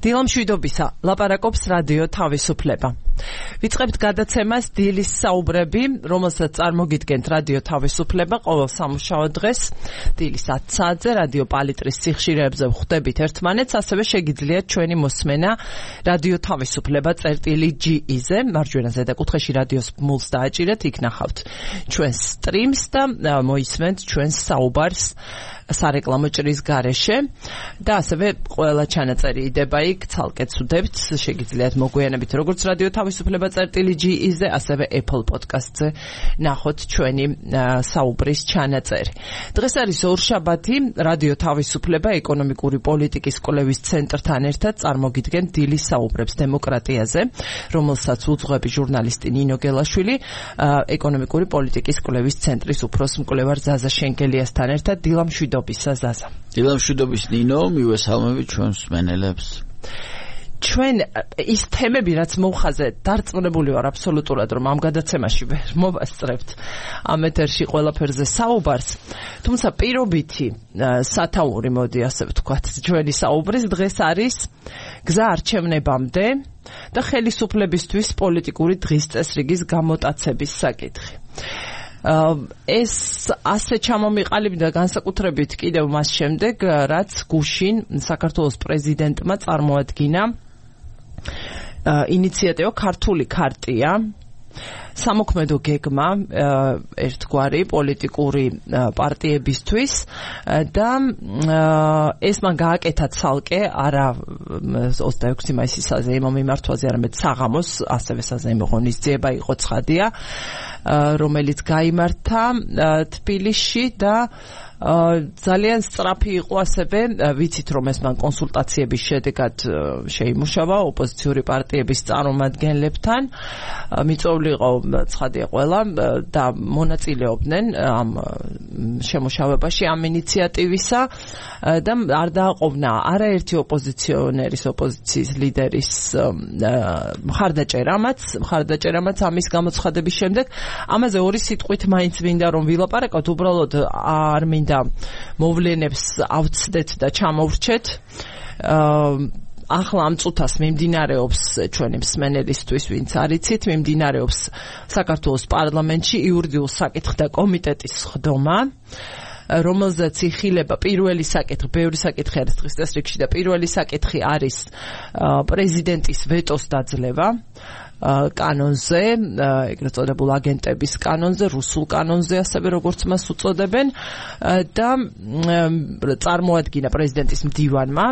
დილამშვიდობისა, ლაპარაკობს რადიო თავისუფლება. ვიწყებთ გადაცემას დილის საუბრები, რომელსაც წარმოგიდგენთ რადიო თავისუფლება ყოველ სამუშაო დღეს დილის 10 საათზე რადიო პალიტრის სიხშირეებზე ვხვდებით ერთმანეთს, ასევე შეგიძლიათ ჩვენი მოსმენა რადიო თავისუფლება წერტილი.ge-ზე, მარჯვენა ზედაკუთხეში რადიოს ბმულს დააჭირეთ, იქ ნახავთ ჩვენს სტრიმს და მოისმენთ ჩვენს საუბარს სარეკლამო ჭრის გარეშე და ასევე ყველა ჩანაწერი იდება იქ, ცალკე ვცვდებთ, შეგიძლიათ მოგვიანებით როგორც რადიო თავისუფლება წერტილი.ge-ზე, ასევე Apple Podcast-ზე ნახოთ ჩვენი საუბრის ჩანაწერი. დღეს არის ორშაბათი, რადიო თავისუფლება ეკონომიკური პოლიტიკის კვლევის ცენტრთან ერთად წარმოგიდგენთ დილის საუბრებს დემოკრატიაზე, რომელსაც უძღვები ჟურნალისტი ნინო გელაშვილი, ეკონომიკური პოლიტიკის კვლევის ცენტრის უფროს მკვლევარ ზაზა შენკელიასთან ერთად. დილამშვიდობისა ზაზა. დილამშვიდობის ნინო, მივესალმებით ჩვენს მსმენელებს. ჩვენ ის თემები, რაც მოუხაზე დარწმუნებული ვარ აბსოლუტურად, რომ ამ გადაცემაში ვერ მოვასწრებთ ამ ეთერში ყველაფერზე საუბარს, თუმცა პირობითი სათაური, მოდი ასე ვთქვათ, ჩვენი საუბრის დღეს არის გზა არჩევნებამდე და ხელისუფლებისთვის პოლიტიკური დღის წესრიგის გამოტაცების საკითხი. ეს ასე ჩამომიყალიბდა განსაკუთრებით კიდევ მას შემდეგ, რაც გუშინ საქართველოს პრეზიდენტმა წარმოადგინა ინიციატივა ქართული ქარტია, სამოქმედო გეგმა ერთგვარი პოლიტიკური პარტიებისთვის და ეს მან გააკეთა ცალკე არა 26 მაისის საზეიმო მიმართვაზე, არამედ საღამოს ასევე საზეიმო ღონისძიება იყო ცხადია, რომელიც გაიმართა თბილისში და ძალიან სწრაფი იყო ასევე, ვიცით რომ ეს მან კონსულტაციების შედეგად შეიმუშავა ოპოზიციური პარტიების წარმომადგენლებთან, მიწვეული იყო ცხადია ყველა და მონაწილეობდნენ ამ შემუშავებაში, ამ ინიციატივისა და არ დააყოვნა არაერთი ოპოზიციონერის, ოპოზიციის ლიდერის მხარდაჭერამაც ამის გამოცხადების შემდეგ. ამაზე ორი სიტყვით მაინც მინდა რომ ვილაპარაკოთ, უბრალოდ არ მინდა მოვლენებს ავცდეთ და ჩამოვრჩეთ. ახლა ამ წუთას მიმდინარეობს ჩვენი მსმენელისთვის, ვინც არიცით, მიმდინარეობს საქართველოს პარლამენტში იურიდიულ საკითხთა კომიტეტის ხდომა, რომელზეც იხილება პირველი საკითხი, ბევრი საკითხი არის დღის წესრიგში და პირველი საკითხი არის პრეზიდენტის ვეტოს დაძლევა კანონზე, ეგრეთ წოდებულ აგენტების კანონზე, რუსულ კანონზე, ასევე როგორც მას უწოდებენ და წარმოადგინა პრეზიდენტის მდივანმა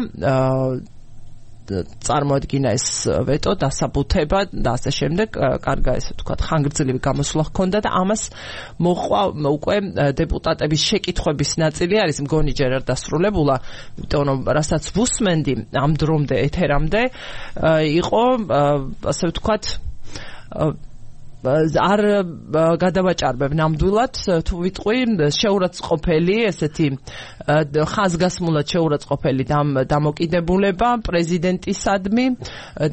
წარმოადგინა ეს ვეტო, დასაბუთება და ასე შემდეგ, კარგა ესე ვთქვათ, ხანგრძლივი გამოსვლა ჰქონდა და ამას მოყვა უკვე დეპუტატების შეკითხვების ნაწილი არის, მგონი ჯერ არ დასრულებულა, იმიტომ რომ რასაც ვუსმენდი ამ დრომდე ეთერამდე იყო ასე ვთქვათ არ გადავაჭარბებ ნამდვილად, თუ ვიტყვი შეურაცხყოფელი, ესეთი ხაზგასმულად შეურაცხყოფელი დამოკიდებულება პრეზიდენტისადმი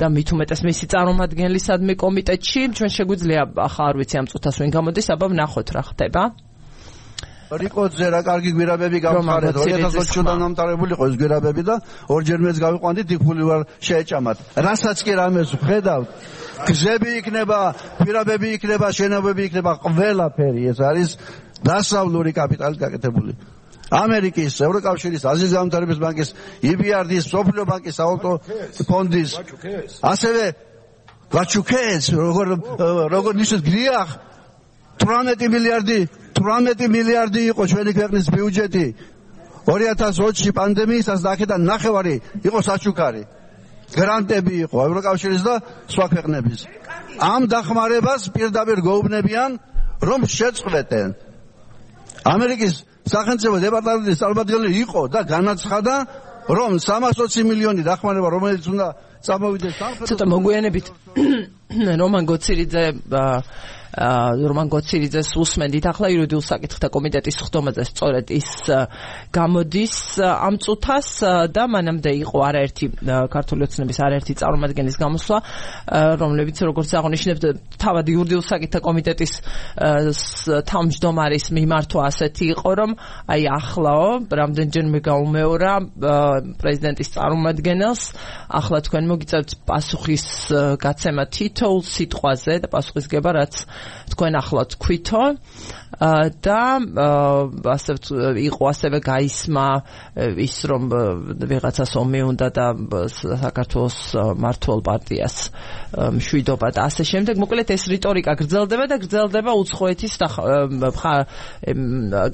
და მით უმეტეს მისი წარმომადგენლისადმი კომიტეტში. ჩვენ შეგვიძლია ახლა არ ვიცი ამ წუთას ვინ გამოდის, აბა ვნახოთ რა ხდება. რიკოძე რა კარგი გვირაბები გამხარეთ, 2020-დან გამტარებული იყო ეს გვირაბები და ორჯერ მეც გავიყვანდი, დიფული ვარ შეეჭამათ. რასაც კი რამეს ვხედავთ, გზები იქნება, გვირაბები იქნება, შენობები იქნება, ყველაფერი ეს არის დასავლური კაპიტალით გაკეთებული. ამერიკის, ევროკავშირის, აზიის განვითარების ბანკის, EBRD-ის, მსოფლიო ბანკის, საავტო ფონდის, ასევე ვაჩუკეს, როგორ ნიშნავს გრიახ 18 მილიარდი იყო ჩვენი ქვეყნის ბიუჯეტი 2020-ში პანდემიისას და აქედან ნახევარი იყო საჩუქარი. გრანტები იყო ევროკავშირის და სხვა ქვეყნების. ამ დახმარებას პირდაპირ გეუბნებიან, რომ შეწყვეტენ. ამერიკის სახელმწიფო დეპარტამენტის წარმომადგენელი იყო და განაცხადა, რომ 320 მილიონი დახმარება, რომელიც უნდა წამოვიდეს ცოტა მოგვიანებით რომან გოცირიძეს უსმენდით ახლა იურიდიულ საკითხთა კომიტეტის ხდომაზე სწორედ ის გამოდის ამ წუთას და მანამდე იყო არაერთი ქართული ოცნების არაერთი წარმომადგენლის გამოსვლა რომლებიც როგორც აღნიშნებთ თავად იურიდიულ საკითხთა კომიტეტის თავმჯდომარის მიმართვა ასეთი იყო რომ აი ახლაო რამდენჯერმე გაუმეორა პრეზიდენტის წარმომადგენელს ახლა თქვენ მოგიწევთ პასუხის გაცემა თითოეულ სიტყვაზე და პასუხისგება რაც თქვენ ახლა თქვითო და ასევე გაისმა ის რომ ვიღაცას ომი უნდა და საქართველოს მართლ პარტიას მშვიდობა და ასე შემდეგ მოკლედ ეს რიტორიკა გრძელდება უცხოეთის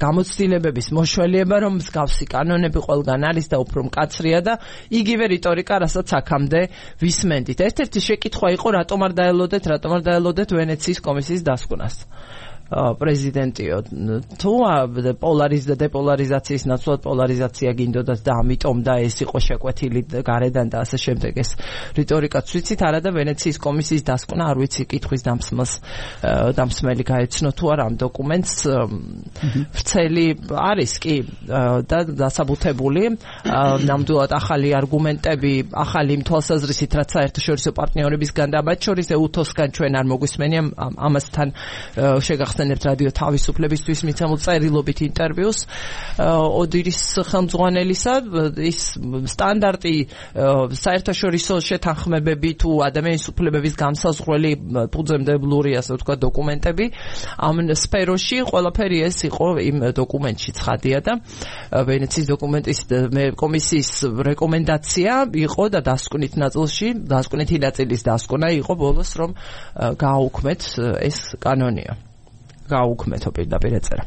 გამოცდილებების მოშველიება რომ მსგავსი კანონები ყველგან არის და უფრო მკაცრია და იგივე რიტორიკა რასაც აქამდე ვისმენდით ერთ-ერთი შეკითხვა იყო რატომ არ დაელოდეთ ვენეციის კომისიის დასკვნას პრეზიდენტიო თუ დეპოლარიზაციის ნაცვლად პოლარიზაცია გინდოდათ და ამიტომ და ეს იყო შეკვეთილი გარედან და ასე შემდეგ ეს რიტორიკაც ვიცით არა და ვენეციის კომისიის დასკვნა არ ვიცი კითხვის დამსმელი გაეცნო თუ არა ამ დოკუმენტს ვრცელი არის კი და დასაბუთებული ნამდვილად ახალი არგუმენტები ახალი თვალსაზრისით რაც საერთაშორისო პარტნიორებისგან და მათ შორის EUTOS-გან ჩვენ არ მოგვისმენია ამასთან შეგახსენებთ რადიო თავისუფლებისთვის მიცემულ წერილობით ინტერვიუს ოდირის ხელმძღვანელისა ის სტანდარტი საერთაშორისო შეთანხმებები თუ ადამიანის უფლებების გამსაზღვრელი ფუძემდებლური ასე ვთქვათ დოკუმენტები ამ სფეროში ყველაფერი ეს იყო იმ დოკუმენტში ცხადია და ვენეციის დოკუმენტის კომისიის რეკომენდაცია იყო და დასკვნითი ნაწილის დასკვნა იყო ბოლოს რომ გააუქმეთ ეს კანონია გააუქმეთო პირდაპირ ეწერა.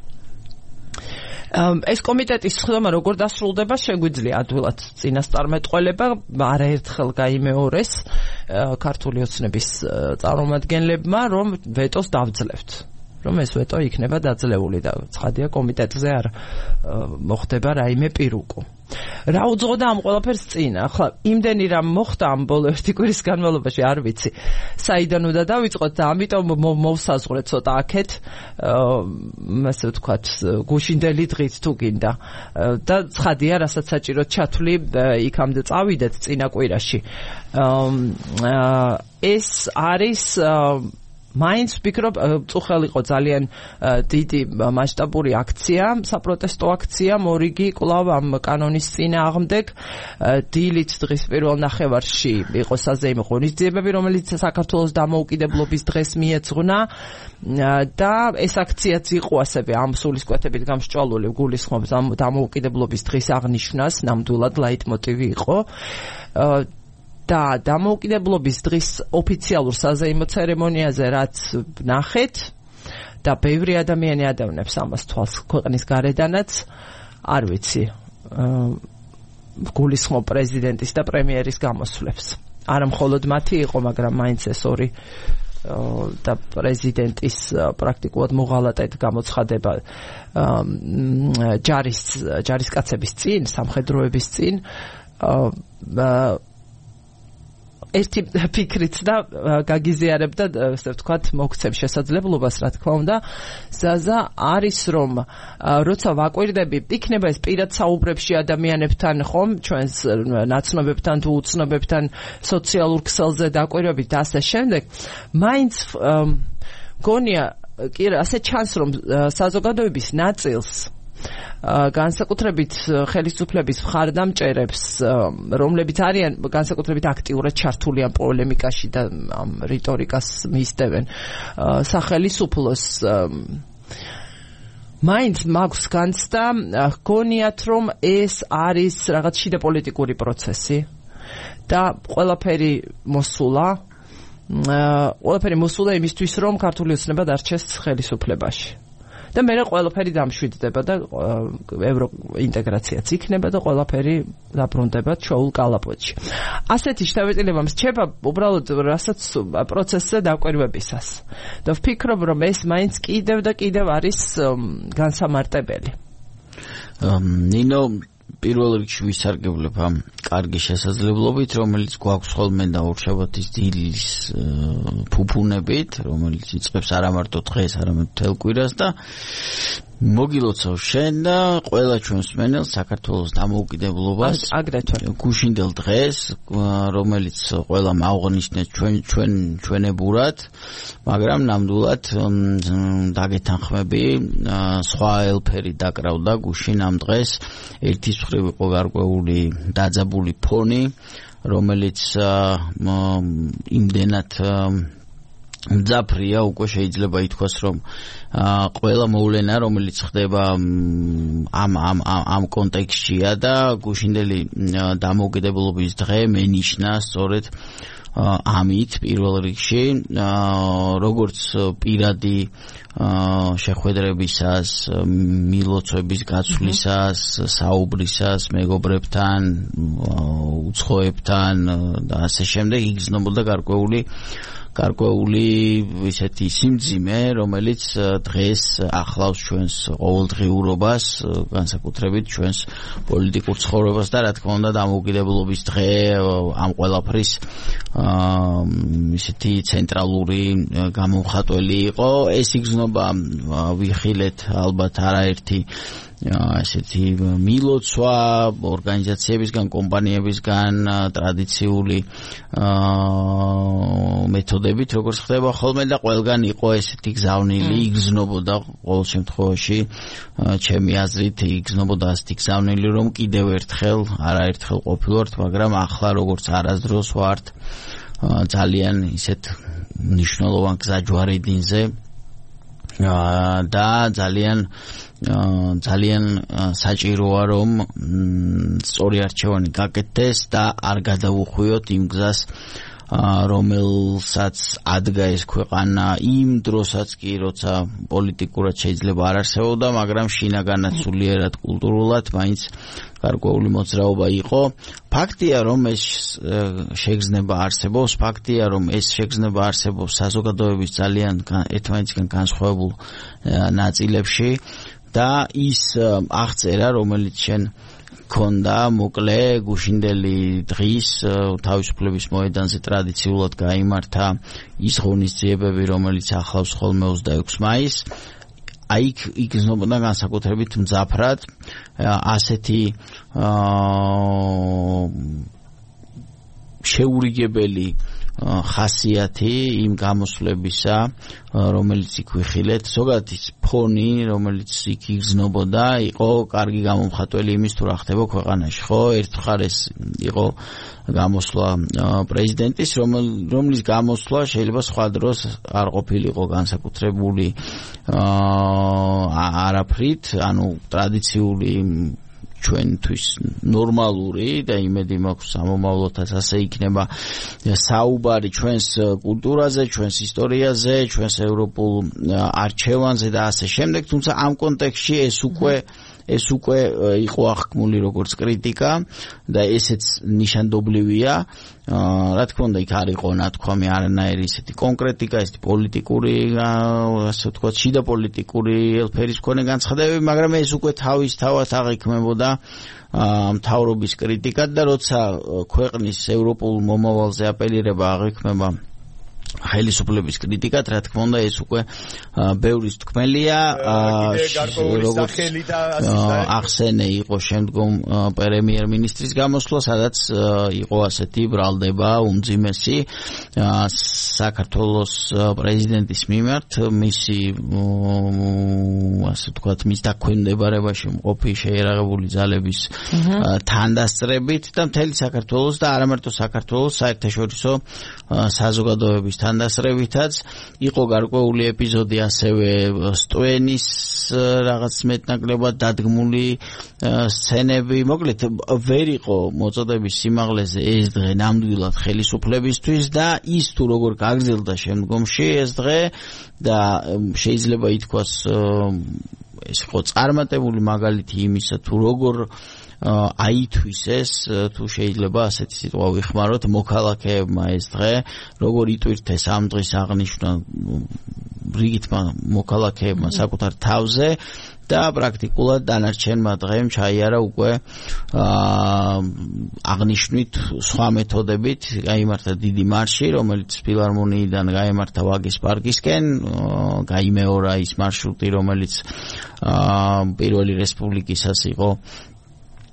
ეს კომიტეტის ხდომა როგორ დასრულდება შეგვიძლია ადვილად წინასწარმეტყველება არაერთხელ გაიმეორეს ქართული ოცნების წარმომადგენლებმა რომ ვეტოს დავძლევთ რომ ეს ვეტო იქნება დაძლეული და ცხადია კომიტეტზე არ მოხდება რაიმე პირუკო. რა უძღოდა ამ ყველაფერს წინ? ახლა იმდენი რამ მოხდა ამ ბოლო ერთი კვირის განმავლობაში არ ვიცი. საიდან უნდა დავიწყოთ და ამიტომ მოვსაზღვრეთ ცოტა აქეთ ასე ვთქვათ გუშინდელი დღით თუ გინდა და ცხადია რასაც საჭიროდ ჩათვლი იქამდე წავიდეთ წინა კვირაში. ეს არის მაინც ვფიქრობ წუხელ იყო ძალიან დიდი მასშტაბური აქცია, საპროტესტო აქცია, მორიგი კვლავ ამ კანონის წინააღმდეგ დილით დღის პირველ ნახევარში იყო საზეიმო ღონისძიებები, რომელიც საქართველოს დამოუკიდებლობის დღეს მიეძღვნა და ეს აქციაც იყო ასევე ამ სულისკვეთებით გამსჭვალული გულისხმობს ამ დამოუკიდებლობის დღის აღნიშვნას, ნამდვილად ლაიტმოტივი იყო. და დამოუკიდებლობის დღის ოფიციალურ საზეიმო ცერემონიაზე რაც ნახეთ და ბევრი ადამიანი ადევნებს ამას თვალს ქვეყნის გარედანაც არ ვიცი გულისხმობ პრეზიდენტის და პრემიერის გამოსვლებს არა მხოლოდ მათი იყო მაგრამ მაინც ეს ორი და პრეზიდენტის პრაქტიკულად მოღალატედ გამოცხადება ჯარისკაცების წინ სამხედროების წინ ერთი ფიქრით და გაგიზიარებდა ასე ვთქვათ მოგცემ შესაძლებლობას რა თქმა უნდა ზაზა არის რომ როცა ვაკვირდები იქნება ეს პირად საუბრებში ადამიანებთან ხომ ჩვენს ნაცნობებთან თუ უცნობებთან სოციალურ ქსელზე დაკვირვებით და ასე შემდეგ მაინც გონია კი ასე ჩანს რომ საზოგადოების ნაწილს განსაკუთრებით ხელისუფლების მხარდამჭერებს რომლებიც არიან განსაკუთრებით აქტიურად ჩართული ამ პოლემიკაში და ამ რიტორიკას მისდევენ სახელისუფლოს მაინც მაქვს განცდა გონიათ რომ ეს არის რაღაც შიდა პოლიტიკური პროცესი და ყველაფერი მოსულა იმისთვის რომ ქართული ოცნება დარჩეს ხელისუფლებაში და მე ყველაფერი დამშვიდდება და ევროინტეგრაციაც იქნება და ყველაფერი დაბრუნდება ჩოულ კალაპოტში. ასეთი შთაბეჭდილება მრჩება უბრალოდ რასაც პროცესზე დაკვირვებისას. და ვფიქრობ რომ ეს მაინც კიდევ და კიდევ არის განსამარტებელი. ნინო პირველ რიგში ვისარგებლებ ამ კარგი შესაძლებლობით, რომელიც გვაქვს ხოლმე და ორშაბათის დილის ფუფუნებით, რომელიც იწყებს არა მარტო დღეს, არამედ მთელ კვირას და მოგილოცავ შენ და ყველა ჩვენს მენელს საქართველოს დამოუკიდებლობას აგრეთვე გუშინდელ დღეს, რომელიც ყველა მაუღნიშნეთ ჩვენებურად, მაგრამ ნამდვილად დაგეთანხმები, სხვა ელფერი დაკრავდა გუშინ ამ დღეს, ერთის მხრივ იყო გარკვეული დაძაბული ფონი, რომელიც იმდენად მძაფრია, უკვე შეიძლება ითქვას, რომ ყველა მოვლენა, რომელიც ხდება ამ კონტექსტშია და გუშინდელი დამოუკიდებლობის დღე მენიშნა სწორედ ამით პირველ რიგში, როგორც პირადი შეხვედრებისას, მილოცვების გაცვლისას, საუბრისას, მეგობრებთან, უცხოებთან და ასე შემდეგ იგრძნობოდა გარკვეული ისეთი სიმძიმე, რომელიც დღეს ახლავს ჩვენს ყოველდღიურობას, განსაკუთრებით ჩვენს პოლიტიკურ ცხოვრებას და რა თქმა უნდა დამოუკიდებლობის დღე ამ ყველაფრის ისეთი ცენტრალური გამომხატველი იყო. ეს იგრძნობა ვიხილეთ ალბათ არაერთი ასეთი მილოცვა ორგანიზაციებისგან, კომპანიებისგან, ტრადიციული მეთოდებით, როგორც ხდება ხოლმე და ყველგან იყო ესეთი გზავნილი, იგრძნობოდა ყოველ შემთხვევაში ჩემი აზრით იგრძნობოდა ასეთი გზავნილი, რომ კიდევ ერთხელ, არაერთხელ ყოფილვართ, მაგრამ ახლა როგორც არასდროს ვართ ძალიან ისეთ მნიშვნელოვან გზაჯვარედინზე და ძალიან საჭიროა, რომ სწორი არჩევანი გაკეთდეს და არ გადავუხვიოთ იმ გზას, რომელსაც ადგა ეს ქვეყანა იმ დროსაც კი, როცა პოლიტიკურად შეიძლება არ არსებობდა, მაგრამ შინაგანად სულიერად კულტურულად მაინც გარკვეული მოძრაობა იყო. ფაქტია, რომ ეს შეგრძნება არსებობს, ფაქტია, რომ ეს შეგრძნება არსებობს საზოგადოების ძალიან ერთმანეთისგან განსხვავებულ ნაწილებში და ის აღწერა, რომელიც შენ ქონდა მოკლე გუშინდელი დღის თავისუფლების მოედანზე ტრადიციულად გაიმართა ის ღონისძიებები, რომელიც ახლავს ხოლმე 26 მაისს. აი იგრძნობოდა განსაკუთრებით მძაფრად ასეთი შეურიგებელი ხასიათი იმ გამოსვლებისა, რომელიც იქ ვიხილეთ, ზოგადად ის ფონი, რომელიც იქ იგრძნობოდა, იყო კარგი გამომხატველი იმის თუ რა ხდება ქვეყანაში, ხო? ერთხელ იყო გამოსვლა პრეზიდენტის, რომლის გამოსვლა შეიძლება სხვა დროს არ ყოფილიყო განსაკუთრებული არაფრით, ანუ ტრადიციული ჩვენთვის ნორმალური და იმედი მაქვს სამომავლოდაც ასე იქნება საუბარი ჩვენს კულტურაზე, ჩვენს ისტორიაზე, ჩვენს ევროპულ არჩევანზე და ასე შემდეგ, თუმცა ამ კონტექსტში ეს უკვე იყო აღქმული როგორც კრიტიკა და ესეც ნიშანდობლივია. რა თქმა უნდა, იქ არ იყო ნათქვამი არანაირი ისეთი კონკრეტიკა, ესეთი პოლიტიკური, ასე ვთქვათ, შიდა პოლიტიკური ელფერის მქონე განცხადებები, მაგრამ ეს უკვე თავისთავად აღიქმებოდა მთავრობის კრიტიკად და როცა ქვეყნის ევროპულ მომავალზე აპელირება აღიქმება ხელისუფლების კრიტიკად, რა თქმა უნდა, ეს უკვე ბევრის თქმელია, როგორც ახსენე იყო შემდგომ პრემიერ-მინისტრის გამოსვლა, სადაც იყო ასეთი ბრალდება უმძიმესი საქართველოს პრეზიდენტის მიმართ, მისი ასე ვთქვათ, მის დაქვემდებარებაში მყოფი შეიარაღებული ძალების თანდასწრებით და მთელი საქართველოს და არა მარტო საქართველოს საერთაშორისო საზოგადოების თანდასწრებითაც იყო გარკვეული ეპიზოდი ასევე სტვენის რაღაც მეტნაკლებად დადგმული სცენები. მოკლედ ვერ იყო მოწოდების სიმაღლეზე ეს დღე ნამდვილად ხელისუფლებისთვის და ის თუ როგორ გაგრძელდა შემდგომში ეს დღე და შეიძლება ითქვას ეს იყო წარმატებული მაგალითი იმისა თუ როგორ აითვის ეს, თუ შეიძლება ასეთი სიტყვა ვიხმაროთ, მოქალაქეებმა ეს დღე, როგორ იტვირთეს ამ დღის აღნიშვნა რიგითმა მოქალაქეებმა საკუთარ თავზე და პრაქტიკულად დანარჩენმა დღემ ჩაიარა უკვე აღნიშნვით სხვა მეთოდებით გაიმართა დიდი მარში, რომელიც ფილარმონიიდან გაიმართა ვაგის პარკისკენ, გაიმეორა ის მარშრუტი, რომელიც პირველი რესპუბლიკისას იყო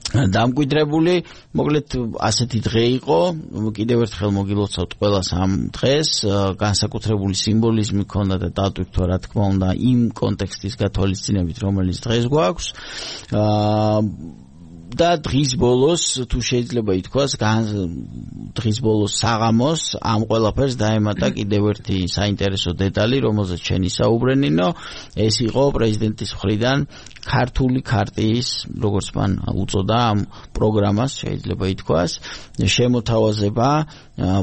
დამკვიდრებული. მოკლედ ასეთი დღე იყო, კიდევ ერთხელ მოგილოცავთ ყველას ამ დღეს, განსაკუთრებული სიმბოლიზმი ჰქონდა და დატვირთვა რა თქმა უნდა იმ კონტექსტის გათვალისწინებით, რომელიც დღეს გვაქვს. და დღის ბოლოს თუ შეიძლება ითქვას, დღის ბოლოს საღამოს ამ ყველაფერს დაემატა კიდევ ერთი საინტერესო დეტალი, რომელზეც შენ ისაუბრენინო, ეს იყო პრეზიდენტის მხრიდან ქართული ქარტიის, როგორც მან უწოდა ამ პროგრამას, შეიძლება ითქვას, შემოთავაზება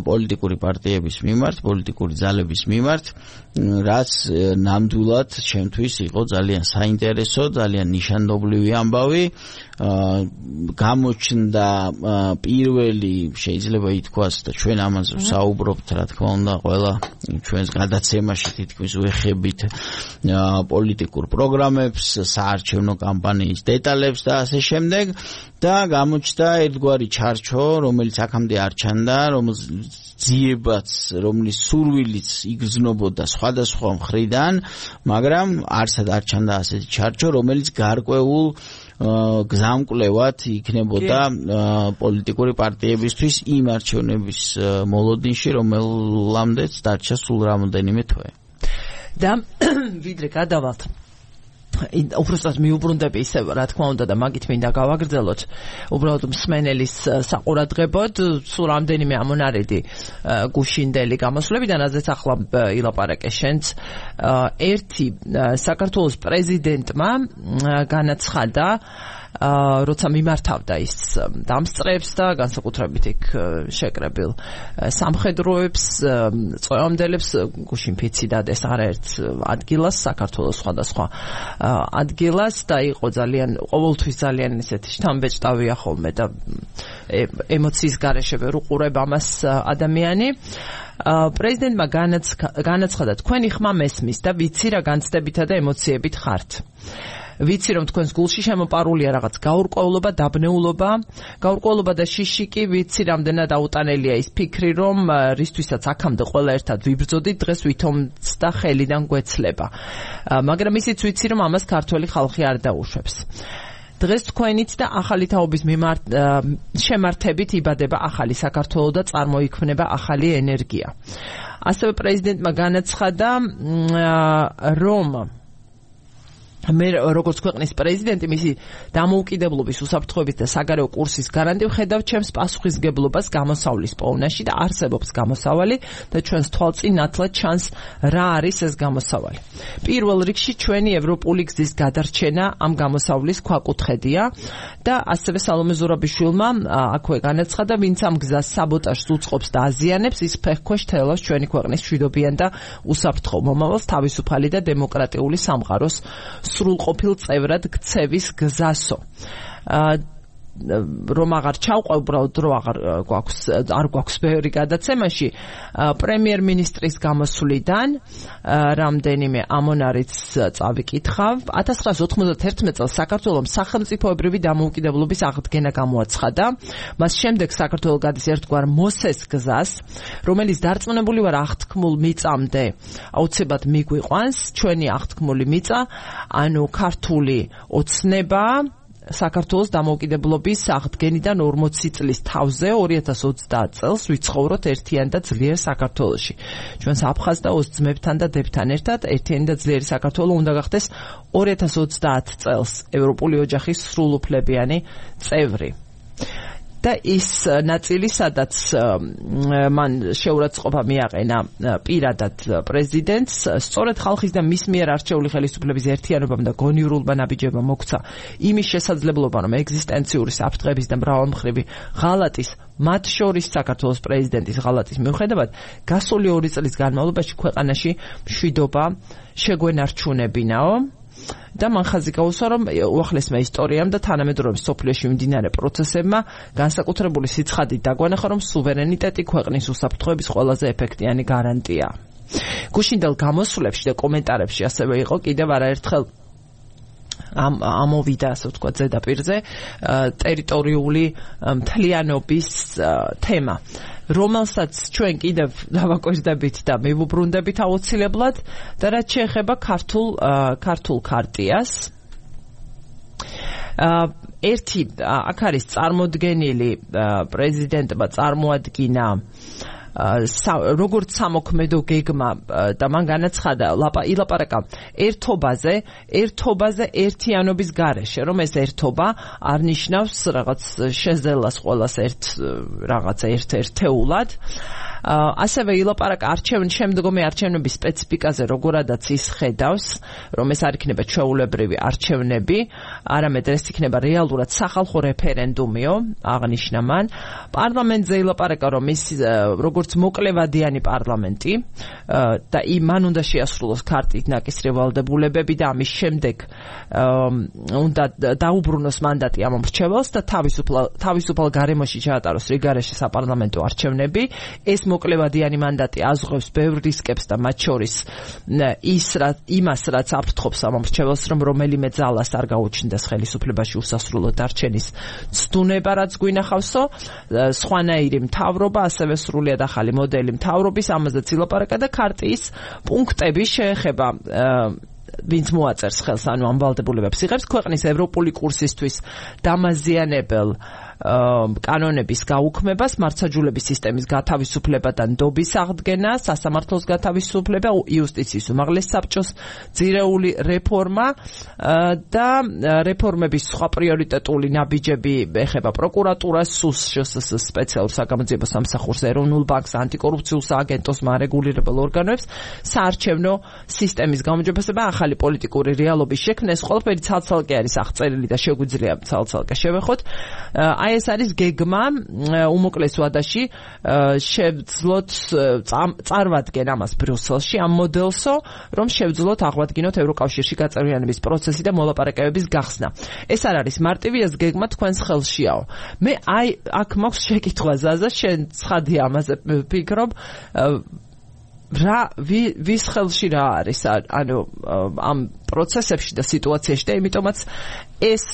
პოლიტიკური პარტიების მიმართ, პოლიტიკური ძალების მიმართ, რაც ნამდვილად ჩემთვის იყო ძალიან საინტერესო, ძალიან ნიშანდობლივი ამბავი. გამოჩნდა პირველი, შეიძლება ითქვას და ჩვენ ამაზე ვსაუბრობთ, რა თქმა უნდა, ყველა ჩვენს გადაცემაში თითქმის ვეხებით პოლიტიკურ პროგრამებს, საარჩევნო კამპანიის დეტალებს და ასე შემდეგ და გამოჩნდა ერთგვარი ჩარჩო, რომელიც აქამდე არ ჩანდა, რომელიც ძიებაც, რომლის სურვილიც იგრძნობოდა სხვადასხვა მხრიდან, მაგრამ არსად არ ჩანდა ასეთი ჩარჩო, რომელიც გარკვეულ გზამკვლევად იქნებოდა პოლიტიკური პარტიებისთვის იმ არჩევნების მოლოდინში, რომელამდეც დარჩა სულ რამოდენიმე თვე. და ვიდრე გადავალთ უბრალოდ მიუბრუნდები ისე რა თქმა უნდა და მაგით მინდა გავაგრძელოთ უბრალოდ მსმენელის საყურადღებოდ სულ რამდენიმე ამონარიდი გუშინდელი გამოსვლებიდან რაზეც ახლა ილაპარაკე შენც ერთი საქართველოს პრეზიდენტმა განაცხადა როცა მიმართავდა ის დამსწრეებს და განსაკუთრებით იქ შეკრებილ სამხედროებს, წვევამდელებს გუშინ ფიცი დადეს არაერთ ადგილას, საქართველოს სხვადასხვა ადგილას და იყო ძალიან ყოველთვის ძალიან ისეთი შთამბეჭდავია ხოლმე და ემოციის გარეშე ვერ უყურებ ამას ადამიანი. პრეზიდენტმა განაცხადა, თქვენი ხმა მესმის და ვიცი რა განცდებითა და ემოციებით ხართ. ვიცი რომ თქვენს გულში შემოპარულია რაღაც გაურკვევლობა, დაბნეულობა, გაურკვევლობა და შიშიკი, ვიცი რამდენად აუტანელია ის ფიქრი, რომ რისთვისაც აქამდე ყველა ერთად ვიბრძოდით, დღეს ვითომც და ხელიდან გვეცლება. მაგრამ ისიც ვიცი რომ ამას ქართველი ხალხი არ დაუშვებს. დღეს თქვენით და ახალი თაობის შემართებით იბადება ახალი საქართველო და წარმოიქმნება ახალი ენერგია. ასევე პრეზიდენტმა განაცხადა, რომ მე როგორც ქვეყნის პრეზიდენტი მისი დამოუკიდებლობის უსაფრთხოების და საგარეო კურსის გარანტი ვხედავ ჩემს პასუხისმგებლობას გამოსავლის პოვნაში და არსებობს გამოსავალი და ჩვენს თვალწინ ნათლად ჩანს რა არის ეს გამოსავალი. პირველ რიგში ჩვენი ევროპული გზის გადარჩენა ამ გამოსავლის ქვაკუთხედია და ასევე სალომე ზურაბიშვილმა აქვე განაცხადა, ვინც ამ გზას საბოტაჟს უწყობს და აზიანებს, ის ფეხქვეშ თელავს ჩვენი ქვეყნის მშვიდობიან და უსაფრთხო მომავალს თავისუფალი და დემოკრატიული სამყაროს სრულყოფილ წევრად გცევის გზასო. რომ აღარ ჩავყვე, უბრალოდ რო არ გვაქვს ბევრი გადაცემაში, პრემიერ-მინისტრის გამოსვლიდან რამდენიმე ამონარიც წავიკითხავ. 1991 წელს საქართველოს სახელმწიფოებრივი დამოუკიდებლობის აღდგენა გამოაცხადა. მას შემდეგ საქართველო გადის ერთგვარ მოსეს გზას, რომელიც დარწმუნებული ვარ აღთქმულ მიწამდე აუცილებლად მიგვიყვანს. ჩვენი აღთქმული მიწა, ანუ ქართული ოცნება საქართველოს დამოუკიდებლობის აღდგენიდან 40 წლის თავზე 2030 წელს ვიცხოვროთ ერთიან და ძლიერ საქართველოში. ჩვენს აფხაზ და ოს ძმებთან და დებთან ერთად ერთიანი და ძლიერი საქართველო უნდა გახდეს 2030 წელს ევროპული ოჯახის სრულუფლებიანი წევრი. და ის ნაწილი, სადაც მან შეურაცხყოფა მიაყენა პირადად პრეზიდენტს, სწორედ ხალხის და მის მიერ არჩეული ხელისუფლების ერთიანობამ და გონიურულმა ნაბიჯებმა მოგვცა იმის შესაძლებლობა, რომ ეგზისტენციური საფრთხების და მრავალმხრივი ღალატის, მათ შორის საქართველოს პრეზიდენტის ღალატის მიუხედავად, გასული 2 წლის განმავლობაში ქვეყანაში მშვიდობა შეგვენარჩუნებინაო. და მან ხაზი გაუსვა, რომ უახლესმა ისტორიამ და თანამედროვე სოფლიოში მიმდინარე პროცესებმა განსაკუთრებული სიცხადით დაგვანახა, რომ სუვერენიტეტი ქვეყნის უსაფრთხოების ყველაზე ეფექტიანი გარანტია. გუშინდელ გამოსვლებში და კომენტარებში ასევე იყო კიდევ არაერთხელ ამოვიდა, ასე ვთქვათ, ზედაპირზე ტერიტორიული მთლიანობის თემა, რომელსაც ჩვენ კიდევ დავაკვირდებით და მივუბრუნდებით აუცილებლად და რაც შეეხება ქართულ ქარტიას. ერთი აქ არის წარმოდგენილი პრეზიდენტმა წარმოადგინა როგორც სამოქმედო გეგმა და მან განაცხადა ილაპარაკა ერთობაზე ერთიანობის გარეშე, რომ ეს ერთობა არ ნიშნავს რაღაც შეზელას ყოველას ერთეულად. ასევე ილაპარაკა შემდგომი არჩევნების სპეციფიკაზე, როგორადაც ის ხედავს, რომ ეს არ იქნება ჩვეულებრივი არჩევნები, არამედ ეს იქნება რეალურად სახალხო რეფერენდუმიო, აღნიშნა მან. პარლამენტზე ილაპარაკა, რომ ის როგორც მოკლევადიანი პარლამენტი და მან უნდა შეასრულოს ქარტით ნაკისრი ვალდებულებები და ამის შემდეგ უნდა დაუბრუნოს მანდატი ამ მრჩეველს და თავისუფალ გარემოში ჩაატაროს რიგარეშე საპარლამენტო არჩევნები. ეს მოკლევადიანი მანდატი აზღვევს ბევრ რისკებს და მათ შორის იმას, რაც აფრთხობს ამ მრჩეველს, რომ რომელიმე ძალას არ გაუჩნდეს ხელისუფლებაში უსასრულოდ დარჩენის ცდუნება, რაც გვინახავსო, სხვანაირი მთავრობა, ასევე სრულიად ახალი მოდელი მთავრობის, ამაზეც ილაპარაკა და ქარტიის პუნქტები შეეხება ვინც მოაწერს ხელს, ანუ ამ ვალდებულებებს იღებს, ქვეყნის ევროპული კურსისთვის დამაზიანებელ კანონების გაუქმებას, მართლმსაჯულების სისტემის გათავისუფლება და ნდობის აღდგენა, სასამართლოს გათავისუფლება, იუსტიციის უმაღლეს საბჭოს ძირეული რეფორმა და რეფორმების სხვა პრიორიტეტული ნაბიჯები ეხება პროკურატურას, სსს სპეციალურ საგამოძიებო სამსახურს, ეროვნულ ბანკს, ანტიკორუფციულ სააგენტოს, მარეგულირებელ ორგანოებს, საარჩევნო სისტემის გამოძიებასა და ახალი პოლიტიკური რეალობის შექმნა. ეს ყველაფერი ცალ-ცალკე არის აღწერილი და შეგვიძლია ცალ-ცალკე შევეხოთ. აი ეს არის გეგმა უმოკლეს ვადაში შევძლოთ წარვადგენ ამას ბრიუსელში ამ მოდელსო, რომ შევძლოთ აღვადგინოთ ევროკავშირში გაწევრიანების პროცესი და მოლაპარაკებების გახსნა. ეს არ არის მარტივი, ეს გეგმა თქვენს ხელშიაო. მე აი აქ მაქვს შეკითხვა ზაზა, შენ ცხადია ამაზე ვფიქრობ, ვის ხელში რა არის ანუ ამ პროცესებში და სიტუაციაში და იმიტომაც ეს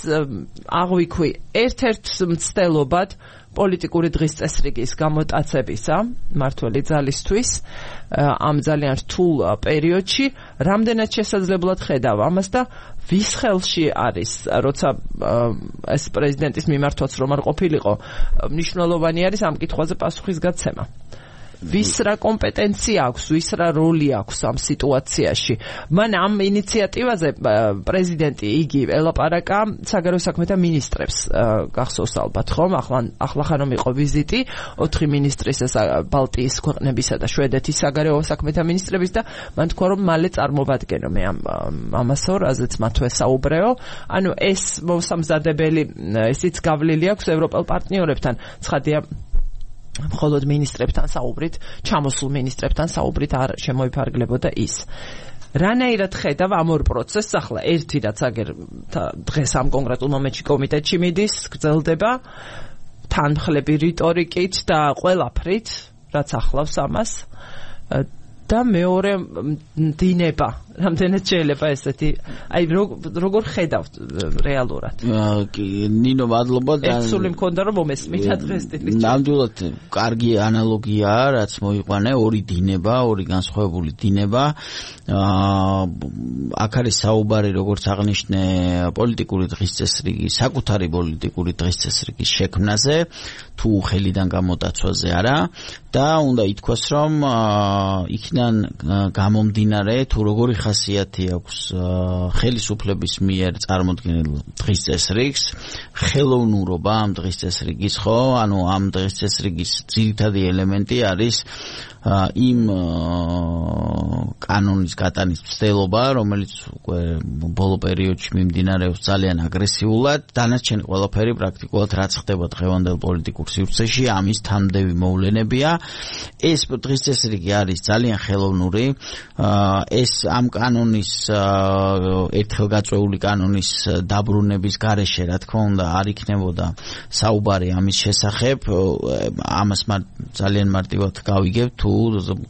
აღვიქვი ერთ-ერთ მცდელობად პოლიტიკური დღის წესრიგის გამოტაცებისა მართველი ძალისთვის ამ ძალიან რთულ პერიოდში რამდენად შესაძლებლად ხედავ ამას და ვის ხელში არის როცა ეს პრეზიდენტის მიმართვაც რომ არ ყოფილიყო მნიშვნელოვანი არის ამ კითხვაზე პასუხისგაცემა. ვის რა კომპეტენცია აქვს, ვის რა როლი აქვს ამ სიტუაციაში. მან ამ ინიციატივაზე პრეზიდენტი იგი ელაპარაკა საგარეო საქმეთა მინისტრებს, გახსოვს ალბათ ხომ, ახლა ხანომ იყო ვიზიტი 4 მინისტრის ბალტიის ქვეყნებისა და შვედეთის საგარეო საქმეთა მინისტრების და მან თქვა რომ მალე წარმოვადგენო მე ამასო, რაზეც მათვე საუბრეო. ანუ ეს მოსამზადებელი ისიც გავლილი აქვს ევროპელ პარტნიორებთან, ცხადია მხოლოდ მინისტრებთან საუბრით, ჩამოსულ მინისტრებთან საუბრით არ შემოიფარგლებოდა ის. რანაირად ხედავ ამ ორ პროცესს, ახლა ერთი რაც აგერ დღეს ამ კონკრეტულ მომენტში კომიტეტში მიდის, გრძელდება თანმხლები რიტორიკით და ყველაფრით, რაც ახლავს ამას და მეორე დინება, რამდენად შეიძლება ესეთი, აი როგორ ხედავთ რეალურად? ნინო მადლობა და ერთსული მქონდა რომ მომესმიდა დღეს ტიპის. ნამდვილად კარგი ანალოგიაა, რაც მოიყვანე, ორი დინება, ორი განსხვავებული დინება. აქ არის საუბარი, როგორც აღნიშნე, პოლიტიკური დღის წესრიგი, საკუთარი პოლიტიკური დღის წესრიგის შექმნაზე, თუ ხელიდან გამოტაცვაზე არა და უნდა ითქვას, რომ იქიდან გამომდინარე, თუ როგორი ხასიათი აქვს ხელისუფლების მიერ წარმოქმნილ დღის წესრიგს, ხელოვნურობა ამ დღის წესრიგის, ხო? ანუ ამ დღის წესრიგის ძირითადი ელემენტი არის იმ კანონის გატანის მცდელობა, რომელიც უკვე ბოლო პერიოდში მიმდინარეობს ძალიან აგრესიულად, დანარჩენი ყველაფერი პრაქტიკულად რაც ხდება დღევანდელ პოლიტიკურ სივრცეში, ამის თამდევი მოვლენებია. ეს დღის წესრიგი არის ძალიან ხელოვნური, ეს ამ კანონის ერთხელ გაწეული კანონის დაბრუნების გარეშე რა თქმა უნდა არ იქნებოდა საუბარი ამის შესახებ ამას ძალიან მარტივად გავიგებ თუ